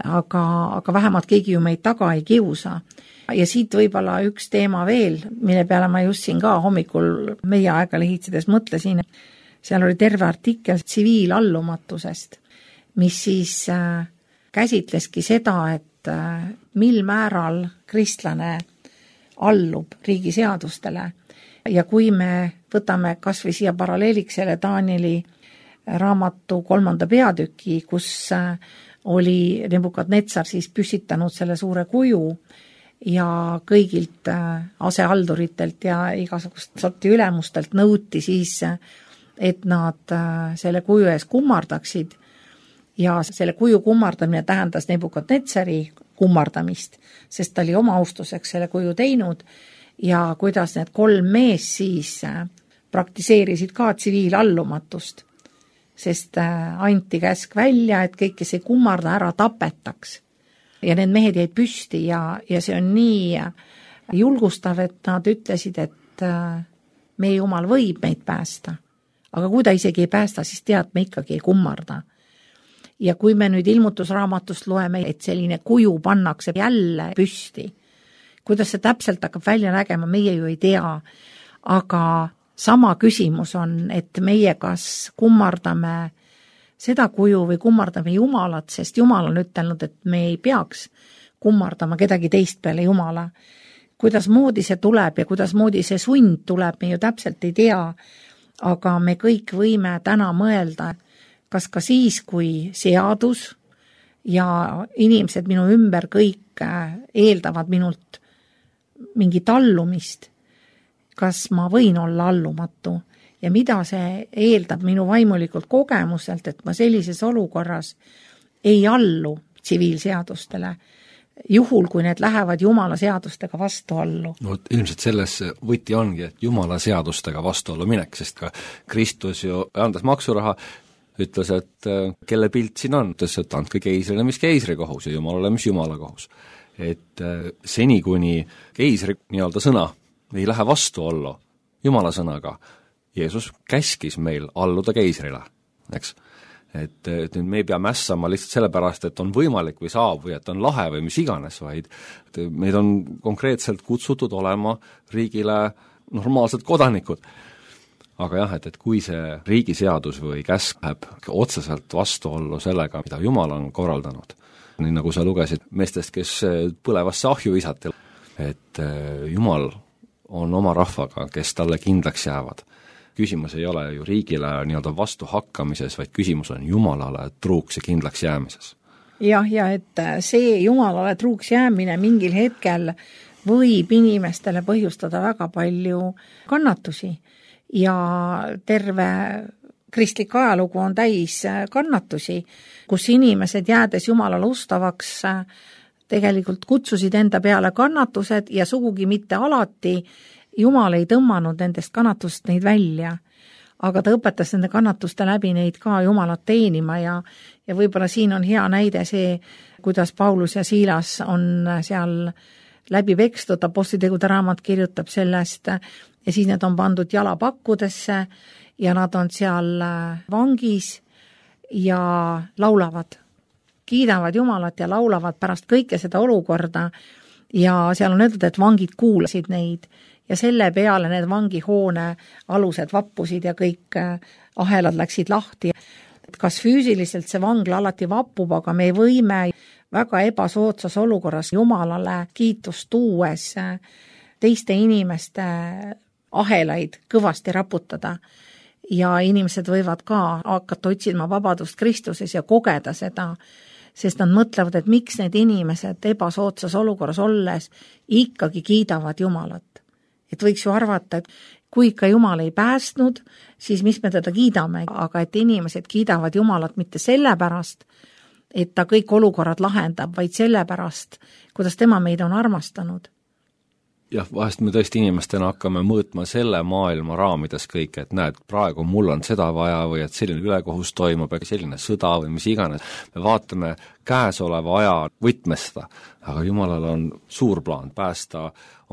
aga vähemalt keegi ju meid taga ei kiusa. Ja siit võib-olla üks teema veel, mille peale ma just siin ka hommikul meie aega lehitsedes mõtlesin. Seal oli terve artikkel tsiviilallumatusest, mis siis käsitleski seda, et mil määral kristlane allub riigi seadustele. Ja kui me võtame kas või siia paralleeliks selle Danieli raamatu 3. peatüki, kus oli Nebukadnetsar siis püstitanud selle suure kuju ja kõigilt asehalduritelt ja igasugust sorti ülemustelt nõuti siis, et nad selle kuju ees kummardaksid ja selle kuju kummardamine tähendas Nebukadnetsari kummardamist, sest ta oli oma austuseks selle kuju teinud ja kuidas need 3 mees siis praktiseerisid ka tsiviilallumatust, sest anti käsk välja, et kõik, kes ei kummarda, ära tapetaks. Ja need mehed jäid püsti ja see on nii julgustav, et nad ütlesid, et meie Jumal võib meid päästa. Aga kui ta isegi ei päästa, siis tead, me ikkagi ei kummarda. Ja kui me nüüd ilmutusraamatust loeme, et selline kuju pannakse jälle püsti, kuidas see täpselt hakkab välja nägema, meie ju ei tea, aga sama küsimus on, et meie kas kummardame seda kuju või kummardame Jumalat, sest Jumal on ütelnud, et me ei peaks kummardama kedagi teist peale Jumala. Kuidas moodi see tuleb ja kuidas moodi see sund tuleb, me ju täpselt ei tea, aga me kõik võime täna mõelda, kas ka siis, kui seadus ja inimesed minu ümber kõik eeldavad minult mingit allumist, kas ma võin olla allumatu ja mida see eeldab minu vaimulikult kogemuselt, et ma sellises olukorras ei allu tsiviilseadustele, juhul, kui need lähevad Jumala seadustega vastuollu. No ilmselt selles võti ongi, et Jumala seadustega vastuollu minek, sest ka Kristus ju andas maksuraha, ütles, et kelle pilt siin on, ütles, et andke keisrile, mis keisri kohus ja Jumalale, mis Jumala kohus. Et seni, kuni keisri nii-öelda sõna ei lähe vastuollu Jumala sõnaga, Jeesus käskis meil alluda keisrile, eks. Et nüüd me ei pea mässama lihtsalt sellepärast, et on võimalik või saab või et on lahe või mis iganes, vaid meid on konkreetselt kutsutud olema riigile normaalsed kodanikud. Aga jah, et kui see riigiseadus või käsk läheb otseselt vastuollu sellega, mida Jumal on korraldanud, nii nagu sa lugesid meestest, kes põlevasse ahju visati, et Jumal on oma rahvaga, kes talle kindlaks jäävad. Küsimus ei ole ju riigile nii-öelda vastu hakkamises, vaid küsimus on Jumalale truuks ja kindlaks jäämises. Jah, ja et see Jumalale truuks jäämine mingil hetkel võib inimestele põhjustada väga palju kannatusi ja terve kristlik ajalugu on täis kannatusi, kus inimesed jäädes Jumalale ustavaks tegelikult kutsusid enda peale kannatused ja sugugi mitte alati Jumal ei tõmmanud nendest kannatust neid välja, aga ta õpetas nende kannatuste läbi neid ka Jumalat teenima ja võib-olla siin on hea näide see, kuidas Paulus ja Siilas on seal läbi pekstud, Apostlitegude raamat kirjutab sellest ja siis need on pandud jalapakkudesse ja nad on seal vangis ja laulavad, kiidavad Jumalat ja laulavad pärast kõike seda olukorda ja seal on öeldud, et vangid kuulasid neid ja selle peale need vangihoone alused vappusid ja kõik ahelad läksid lahti. Kas füüsiliselt see vangla alati vappub, aga me võime väga ebasoodsas olukorras Jumalale kiitust tuues teiste inimeste ahelaid kõvasti raputada ja inimesed võivad ka hakata otsima vabadust Kristuses ja kogeda seda, sest nad mõtlevad, et miks need inimesed ebasoodsas olukorras olles ikkagi kiidavad Jumalat. Et võiks ju arvata, et kui ikka Jumal ei päästnud, siis mis me teda kiidame, aga et inimesed kiidavad Jumalat mitte sellepärast, et ta kõik olukorrad lahendab, vaid sellepärast, kuidas tema meid on armastanud. Jah, vahest me tõesti inimestena hakkame mõõtma selle maailma raamides kõik, et näed, praegu mul on seda vaja või et selline ülekohus toimub, selline sõda või mis iganes. Me vaatame käesoleva aja võtmes seda, aga Jumalal on suur plaan päästa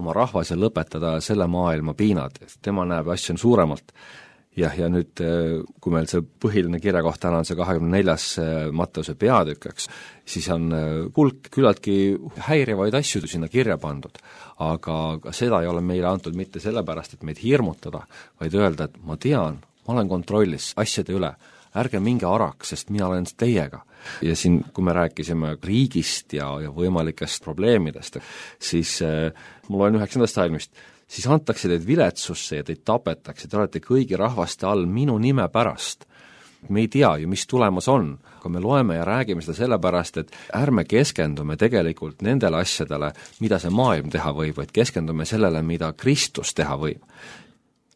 oma rahvas ja lõpetada selle maailma piinad. Tema näeb asju suuremalt. Ja nüüd, kui meil see põhiline kirjakoht täna on see 24. Matteuse peatükkeks, siis on hulk küllaltki häirivaid asju sinna kirja pandud. Aga seda ei ole meile antud mitte sellepärast, et meid hirmutada, vaid öelda, et ma tean, ma olen kontrollis asjade üle, ärge minge araks, sest mina olen teiega. Ja siin, kui me rääkisime riigist ja võimalikest probleemidest, siis mul on 9. salmist, siis antakse teid viletsusse ja teid tapetakse, te olete kõigi rahvaste all minu nime pärast. Me ei tea ju, mis tulemas on, aga me loeme ja räägime seda sellepärast, et ärme keskendume tegelikult nendele asjadele, mida see maailm teha võib, vaid keskendume sellele, mida Kristus teha võib.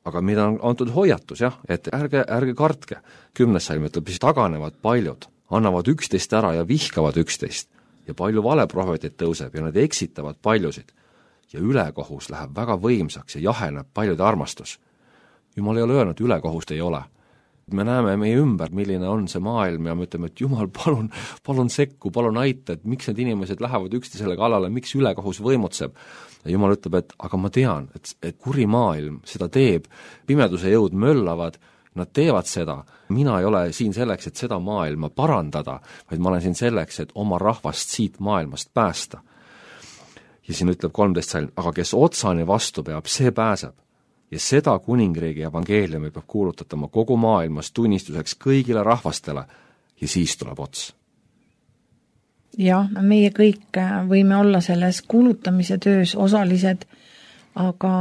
Aga mida on antud hoiatus, jah, et ärge kartke. 10. salm ütleb, siis taganevad paljud, annavad 11 ära ja vihkavad 11 ja palju valeprohveteid tõuseb ja nad eksitavad paljusid. Ja ülekohus läheb väga võimsaks ja jaheneb paljude armastus. Jumal ei ole öelnud, ülekohust ei ole. Me näeme meie ümber, milline on see maailm ja me ütleme, et Jumal, palun sekku, palun aita, et miks need inimesed lähevad üksteisele kallale, miks ülekohus võimutseb. Ja Jumal ütleb, et aga ma tean, et kuri maailm seda teeb, pimeduse jõud möllavad, nad teevad seda. Mina ei ole siin selleks, et seda maailma parandada, vaid ma olen siin selleks, et oma rahvast siit maailmast päästa. Ja siin ütleb 13 salm, aga kes otsani vastu peab, see pääseb. Ja seda kuningriigi evangeeliumi peab kuulutatama kogu maailmas tunnistuseks kõigile rahvastele ja siis tuleb ots. Jah, meie kõik võime olla selles kuulutamise töös osalised, aga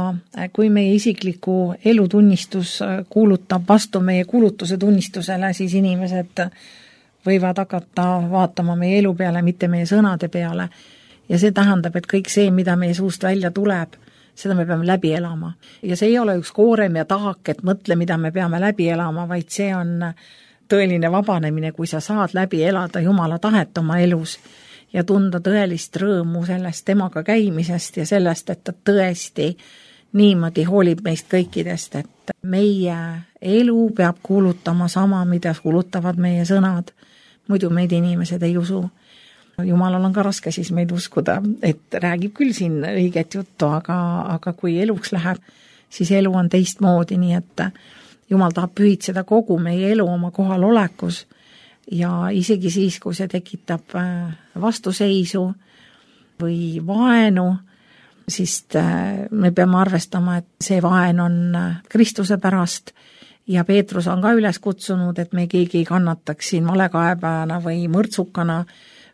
kui meie isikliku elutunnistus kuulutab vastu meie kuulutuse tunnistusele, siis inimesed võivad hakata vaatama meie elu peale, mitte meie sõnade peale. Ja see tähendab, et kõik see, mida meie suust välja tuleb, seda me peame läbi elama. Ja see ei ole üks koorem ja tahak, et mõtle, mida me peame läbi elama, vaid see on tõeline vabanemine, kui sa saad läbi elada Jumala tahet oma elus ja tunda tõelist rõõmu sellest temaga käimisest ja sellest, et ta tõesti niimoodi hoolib meist kõikidest, et meie elu peab kuulutama sama, mida kuulutavad meie sõnad. Muidu meid inimesed ei usu. Jumalal on ka raske siis meid uskuda, et räägib küll siin õiget juttu, aga kui eluks läheb, siis elu on teistmoodi, nii et Jumal tahab pühitseda kogu meie elu oma kohal olekus ja isegi siis, kui see tekitab vastuseisu või vaenu, siis me peame arvestama, et see vaen on Kristuse pärast ja Peetrus on ka üles kutsunud, et me keegi ei kannataks siin valekaebajana või mõrtsukana,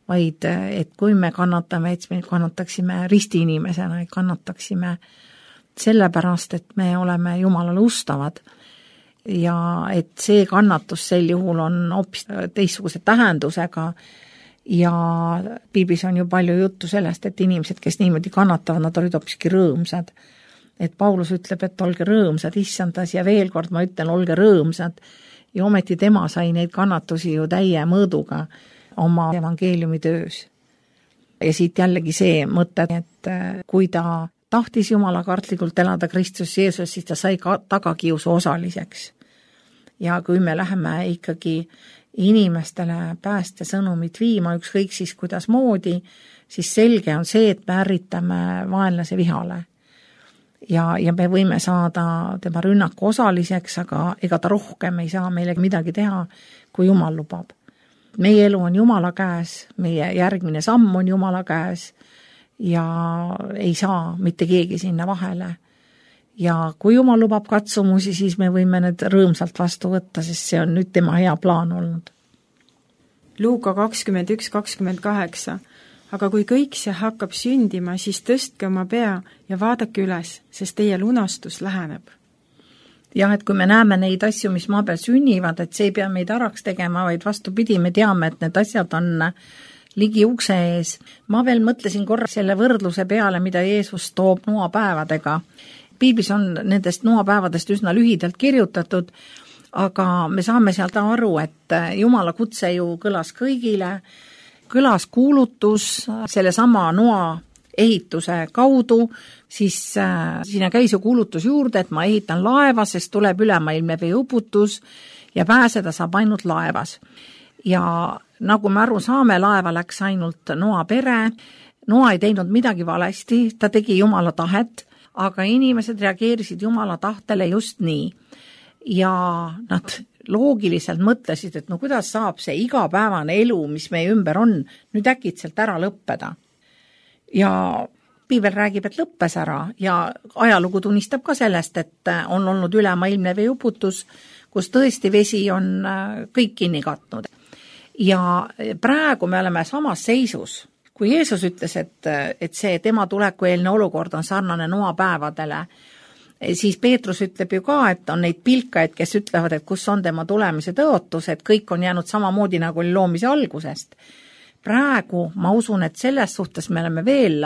vaid et kui me kannatame, et me kannataksime ristiinimesena, et kannataksime sellepärast, et me oleme Jumalale ustavad ja et see kannatus sel juhul on hoopis teistsuguse tähendusega ja piiblis on ju palju juttu sellest, et inimesed, kes niimoodi kannatavad, nad olid hoopiski rõõmsad. Et Paulus ütleb, et olge rõõmsad issandas ja veel kord ma ütlen, olge rõõmsad ja ometi tema sai neid kannatusi ju täie mõõduga oma evangeeliumi töös. Ja siit jällegi see mõte, et kui ta tahtis Jumala kartlikult elada Kristus Jeesus, siis ta sai ka tagakiusu osaliseks. Ja kui me läheme ikkagi inimestele pääste sõnumit viima, ükskõik siis kuidas moodi, siis selge on see, et me ärritame vaenlase vihale. Ja me võime saada tema rünnaku osaliseks, aga ega ta rohkem ei saa meile midagi teha, kui Jumal lubab. Meie elu on Jumala käes, meie järgmine samm on Jumala käes ja ei saa mitte keegi sinna vahele. Ja kui Jumal lubab katsumusi, siis me võime need rõõmsalt vastu võtta, sest see on nüüd tema hea plaan olnud. Luuka 21:28. Aga kui kõik see hakkab sündima, siis tõstke oma pea ja vaadake üles, sest teie lunastus läheneb. Jah, et kui me näeme neid asju, mis maa peal sünnivad, et see ei pea meid araks tegema, vaid vastupidi, me teame, et need asjad on ligi ukse ees. Ma veel mõtlesin korra selle võrdluse peale, mida Jeesus toob noapäevadega. Piiblis on nendest noapäevadest üsna lühidalt kirjutatud, aga me saame sealt aru, et Jumala kutse ju kõlas kõigile, kõlas kuulutus selle sama noa ehituse kaudu, siis sinna käis ju kuulutus juurde, et ma ehitan laeva, sest tuleb ülemaailmne veeuputus ja pääseda saab ainult laevas. Ja nagu me aru saame, laeva läks ainult Noa pere, Noa ei teinud midagi valesti, ta tegi Jumala tahet, aga inimesed reageerisid Jumala tahtele just nii. Ja nad loogiliselt mõtlesid, et no kuidas saab see igapäevane elu, mis meie ümber on, nüüd äkitselt ära lõppeda. Ja piibel räägib, et lõppes ära ja ajalugu tunnistab ka sellest, et on olnud ülemaailmne veeuputus, kus tõesti vesi on kõik kinni katnud. Ja praegu me oleme samas seisus, kui Jeesus ütles, et see tema tulekueelne olukord on sarnane noapäevadele, siis Peetrus ütleb ju ka, et on neid pilkaid, kes ütlevad, et kus on tema tulemise tõotus, et kõik on jäänud samamoodi nagu oli loomise algusest. Praegu ma usun, et selles suhtes me oleme veel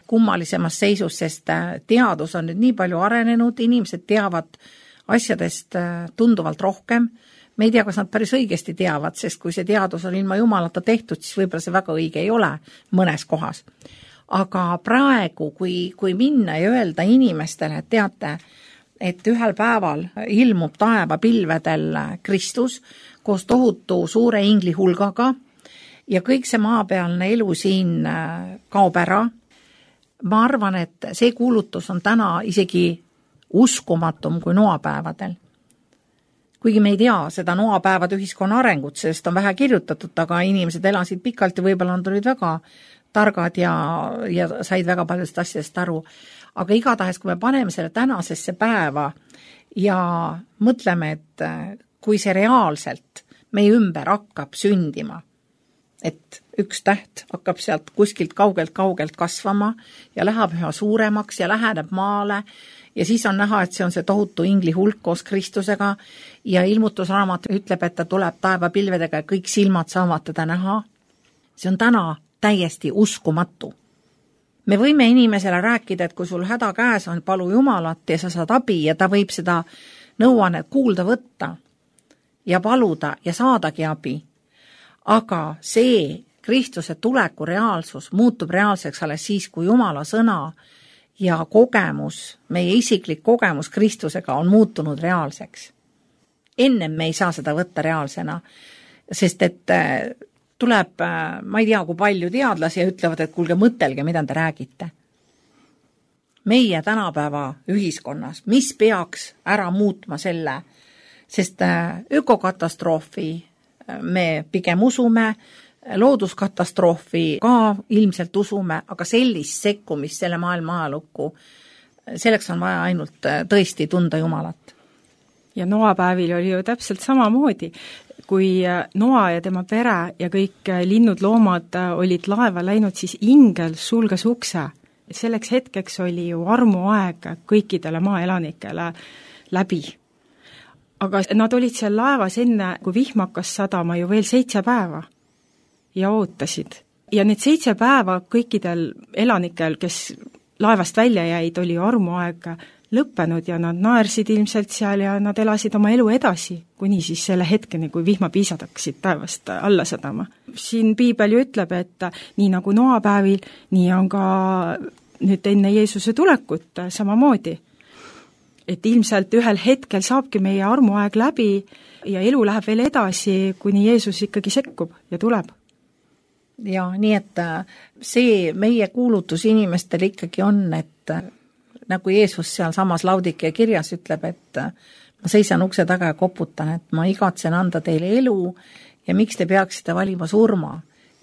kummalisemas seisus, sest teadus on nüüd nii palju arenenud, inimesed teavad asjadest tunduvalt rohkem. Me ei tea, kas nad päris õigesti teavad, sest kui see teadus on ilma Jumalata tehtud, siis võib-olla see väga õige ei ole mõnes kohas. Aga praegu, kui minna ja öelda inimestele, et teate, et ühel päeval ilmub taevapilvedel Kristus koos tohutu suure ingli hulgaga ja kõik see maapealne elu siin kaob ära. Ma arvan, et see kuulutus on täna isegi uskumatum kui noapäevadel. Kuigi me ei tea seda noapäevade ühiskonna arengut, sest on vähe kirjutatud, aga inimesed elasid pikalt ja võib-olla nad olid väga targad ja said väga paljudest asjadest aru. Aga igatahes, kui me paneme selle tänasesse päeva ja mõtleme, et kui see reaalselt meie ümber hakkab sündima, et üks täht hakkab sealt kuskilt kaugelt kasvama ja läheb üha suuremaks ja läheneb maale ja siis on näha, et see on see tohutu ingli hulk koos Kristusega ja ilmutusraamat ütleb, et ta tuleb taevapilvedega ja kõik silmad saavad teda näha. See on täna täiesti uskumatu. Me võime inimesele rääkida, et kui sul häda käes on, palu Jumalat ja sa saad abi ja ta võib seda nõuannet kuulda võtta ja paluda ja saadagi abi. Aga see Kristuse tuleku reaalsus muutub reaalseks alles siis, kui Jumala sõna ja kogemus, meie isiklik kogemus Kristusega on muutunud reaalseks. Ennem me ei saa seda võtta reaalsena, sest et tuleb, ma ei tea, kui palju teadlasi ja ütlevad, et kuulge, mõtelge, mida te räägite. Meie tänapäeva ühiskonnas, mis peaks ära muutma selle, sest ökokatastroofi me pigem usume, looduskatastroofi ka ilmselt usume, aga sellist sekkumist selle maailma ajalukku, selleks on vaja ainult tõesti tunda Jumalat. Ja noapäevil oli ju täpselt samamoodi, kui Noa ja tema pere ja kõik linnud, loomad olid laeva läinud, siis ingel sulges ukse. Selleks hetkeks oli ju armuaeg kõikidele maaelanikele läbi. Aga nad olid seal laevas enne, kui vihm hakkas sadama ju veel 7 päeva ja ootasid. Ja need 7 päeva kõikidel elanikel, kes laevast välja jäid, oli armuaeg lõppenud ja nad naersid ilmselt seal ja nad elasid oma elu edasi, kuni siis selle hetkeni, kui vihmapiisad hakkasid taevast alla sadama. Siin piibel ju ütleb, et nii nagu noapäevil, nii on ka nüüd enne Jeesuse tulekut samamoodi. Et ilmselt ühel hetkel saabki meie armuaeg läbi ja elu läheb veel edasi, kuni Jeesus ikkagi sekkub ja tuleb. Ja nii, et see meie kuulutus inimestel ikkagi on, et nagu Jeesus seal samas Laudikea kirjas ütleb, et ma seisan ukse taga ja koputan, et ma igatsen anda teile elu ja miks te peaksite valima surma.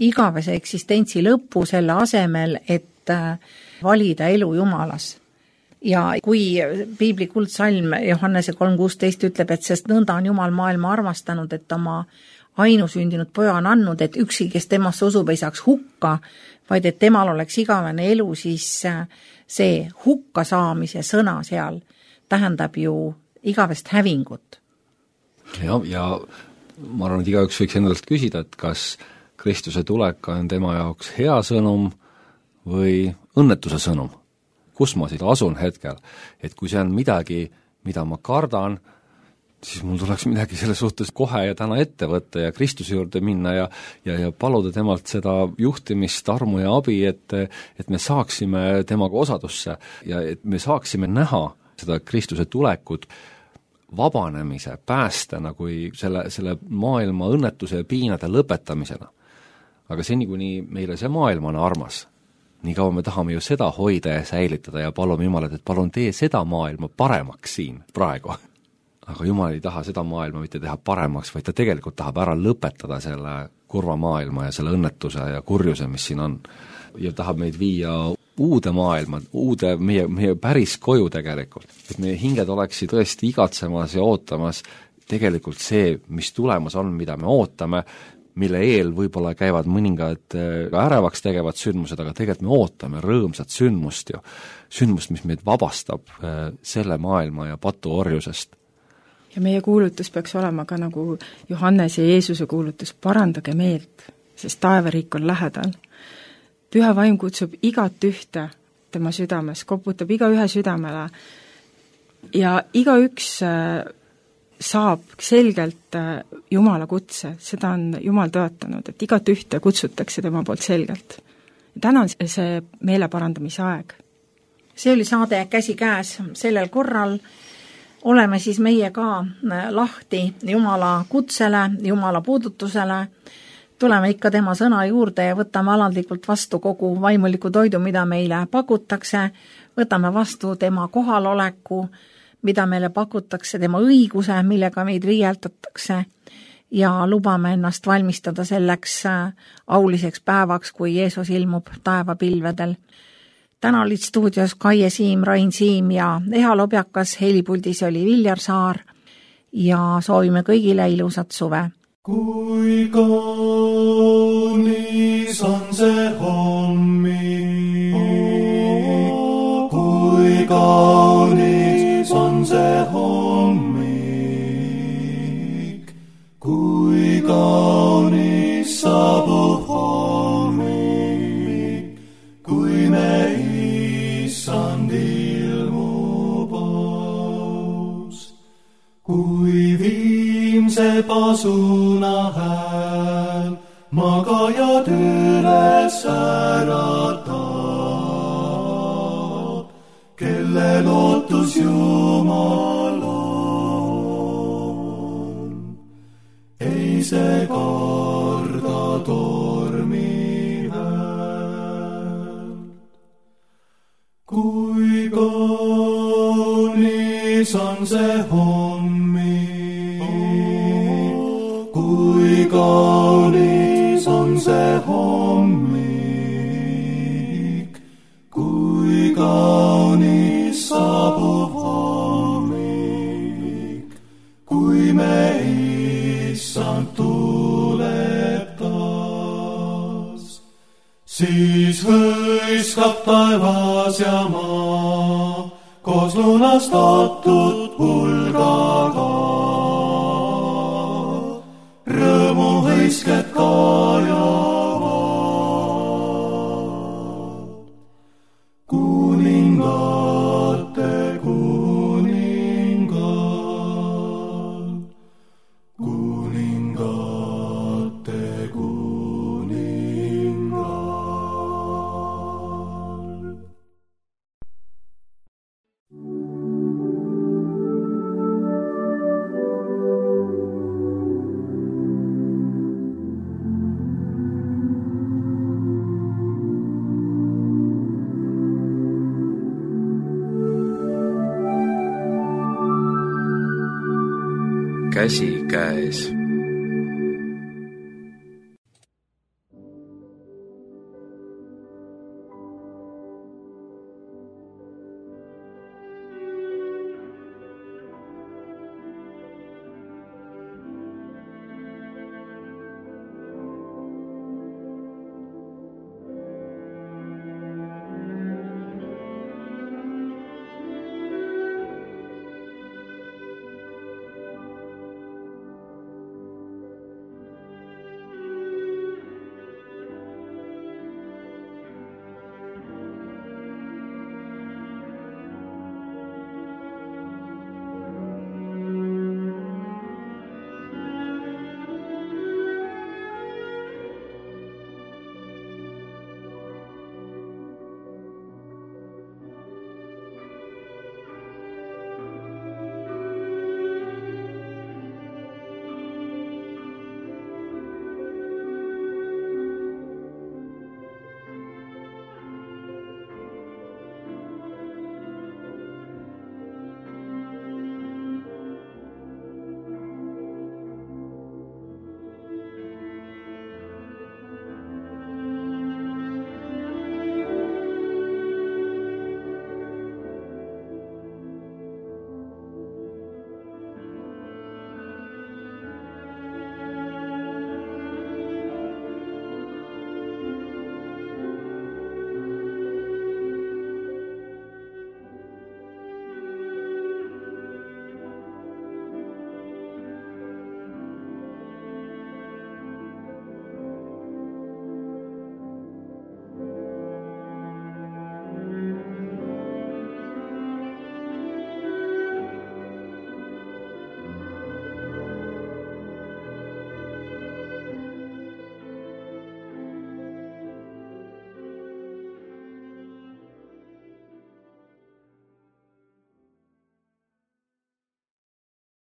Igavese eksistentsi lõppu selle asemel, et valida elu Jumalas. Ja kui piibli kuldsalm Johannese 3.16 ütleb, et sest nõnda on Jumal maailma armastanud, et oma ainusündinud poja on andnud, et üksi, kes temasse usub, ei saaks hukka, vaid et temal oleks igavene elu, siis see hukka saamise sõna seal tähendab ju igavest hävingut. Ja ma arvan, et igaüks võiks endalt küsida, et kas Kristuse tulek on tema jaoks hea sõnum või õnnetuse sõnum. Kus ma siit asun hetkel, et kui see on midagi, mida ma kardan, siis mul tuleks midagi selle suhtes kohe ja täna ette võtta ja Kristuse juurde minna ja paluda temalt seda juhtimist, armu ja abi, et me saaksime temaga osadusse ja et me saaksime näha seda Kristuse tulekut vabanemise, päästena kui selle maailma õnnetuse ja piinade lõpetamisena. Aga seni, kuni meile see maailm on armas, nii kaua me tahame ju seda hoida ja säilitada ja palume Jumalat, et palun tee seda maailma paremaks siin praegu. Aga Jumal ei taha seda maailma mitte teha paremaks, vaid ta tegelikult tahab ära lõpetada selle kurva maailma ja selle õnnetuse ja kurjuse, mis siin on. Ja tahab meid viia uude maailma, uude meie päris koju tegelikult. Et meie hinged oleksid tõesti igatsemas ja ootamas tegelikult see, mis tulemas on, mida me ootame, mille eel võib-olla käivad mõningad ärevaks tegevad sündmused, aga tegelikult me ootame rõõmsat sündmust, mis meid vabastab selle maailma ja patuorjusest. Ja meie kuulutus peaks olema ka nagu Johannes ja Jeesuse kuulutus, parandage meelt, sest taevariik on lähedal. Püha vaim kutsub igat ühte tema südames, koputab igaühe südamele ja igaüks saab selgelt Jumala kutse, seda on Jumal tõotanud, et igat ühte kutsutakse tema poolt selgelt. Ja täna on see meele parandamise aeg. See oli saade Käsi käes sellel korral oleme siis meie ka lahti Jumala kutsele, Jumala puudutusele, tuleme ikka tema sõna juurde ja võtame alandlikult vastu kogu vaimuliku toidu, mida meile pakutakse, võtame vastu tema kohaloleku, mida meile pakutakse, tema õiguse, millega meid riieldatakse ja lubame ennast valmistada selleks auliseks päevaks, kui Jeesus ilmub taevapilvedel. Täna olid stuudios Kaie Siim, Rain Siim ja Eha Lobjakas, helipuldis oli Viljar Saar ja soovime kõigile ilusat suve. Kui kaunis on see hommik, kui kaunis on see hommik, kui kaunis saabub hommik, kui me Issand ilmub aus, kui viimse pasuna hääl magajad üles äratab, kelle lootus Jumal on. Ei see karda tormi hääl. Kui kaunis on see hommik, kui kaunis on see hommik, kui kaunis saabub hommik, kui me Issand tuleb taas, siis hõiskab taevas ja maa koos lunastatud pulgaga. Rõõmu hõisked kajavad, kuningate kuningal, kuningate kuningal. Käsikäes.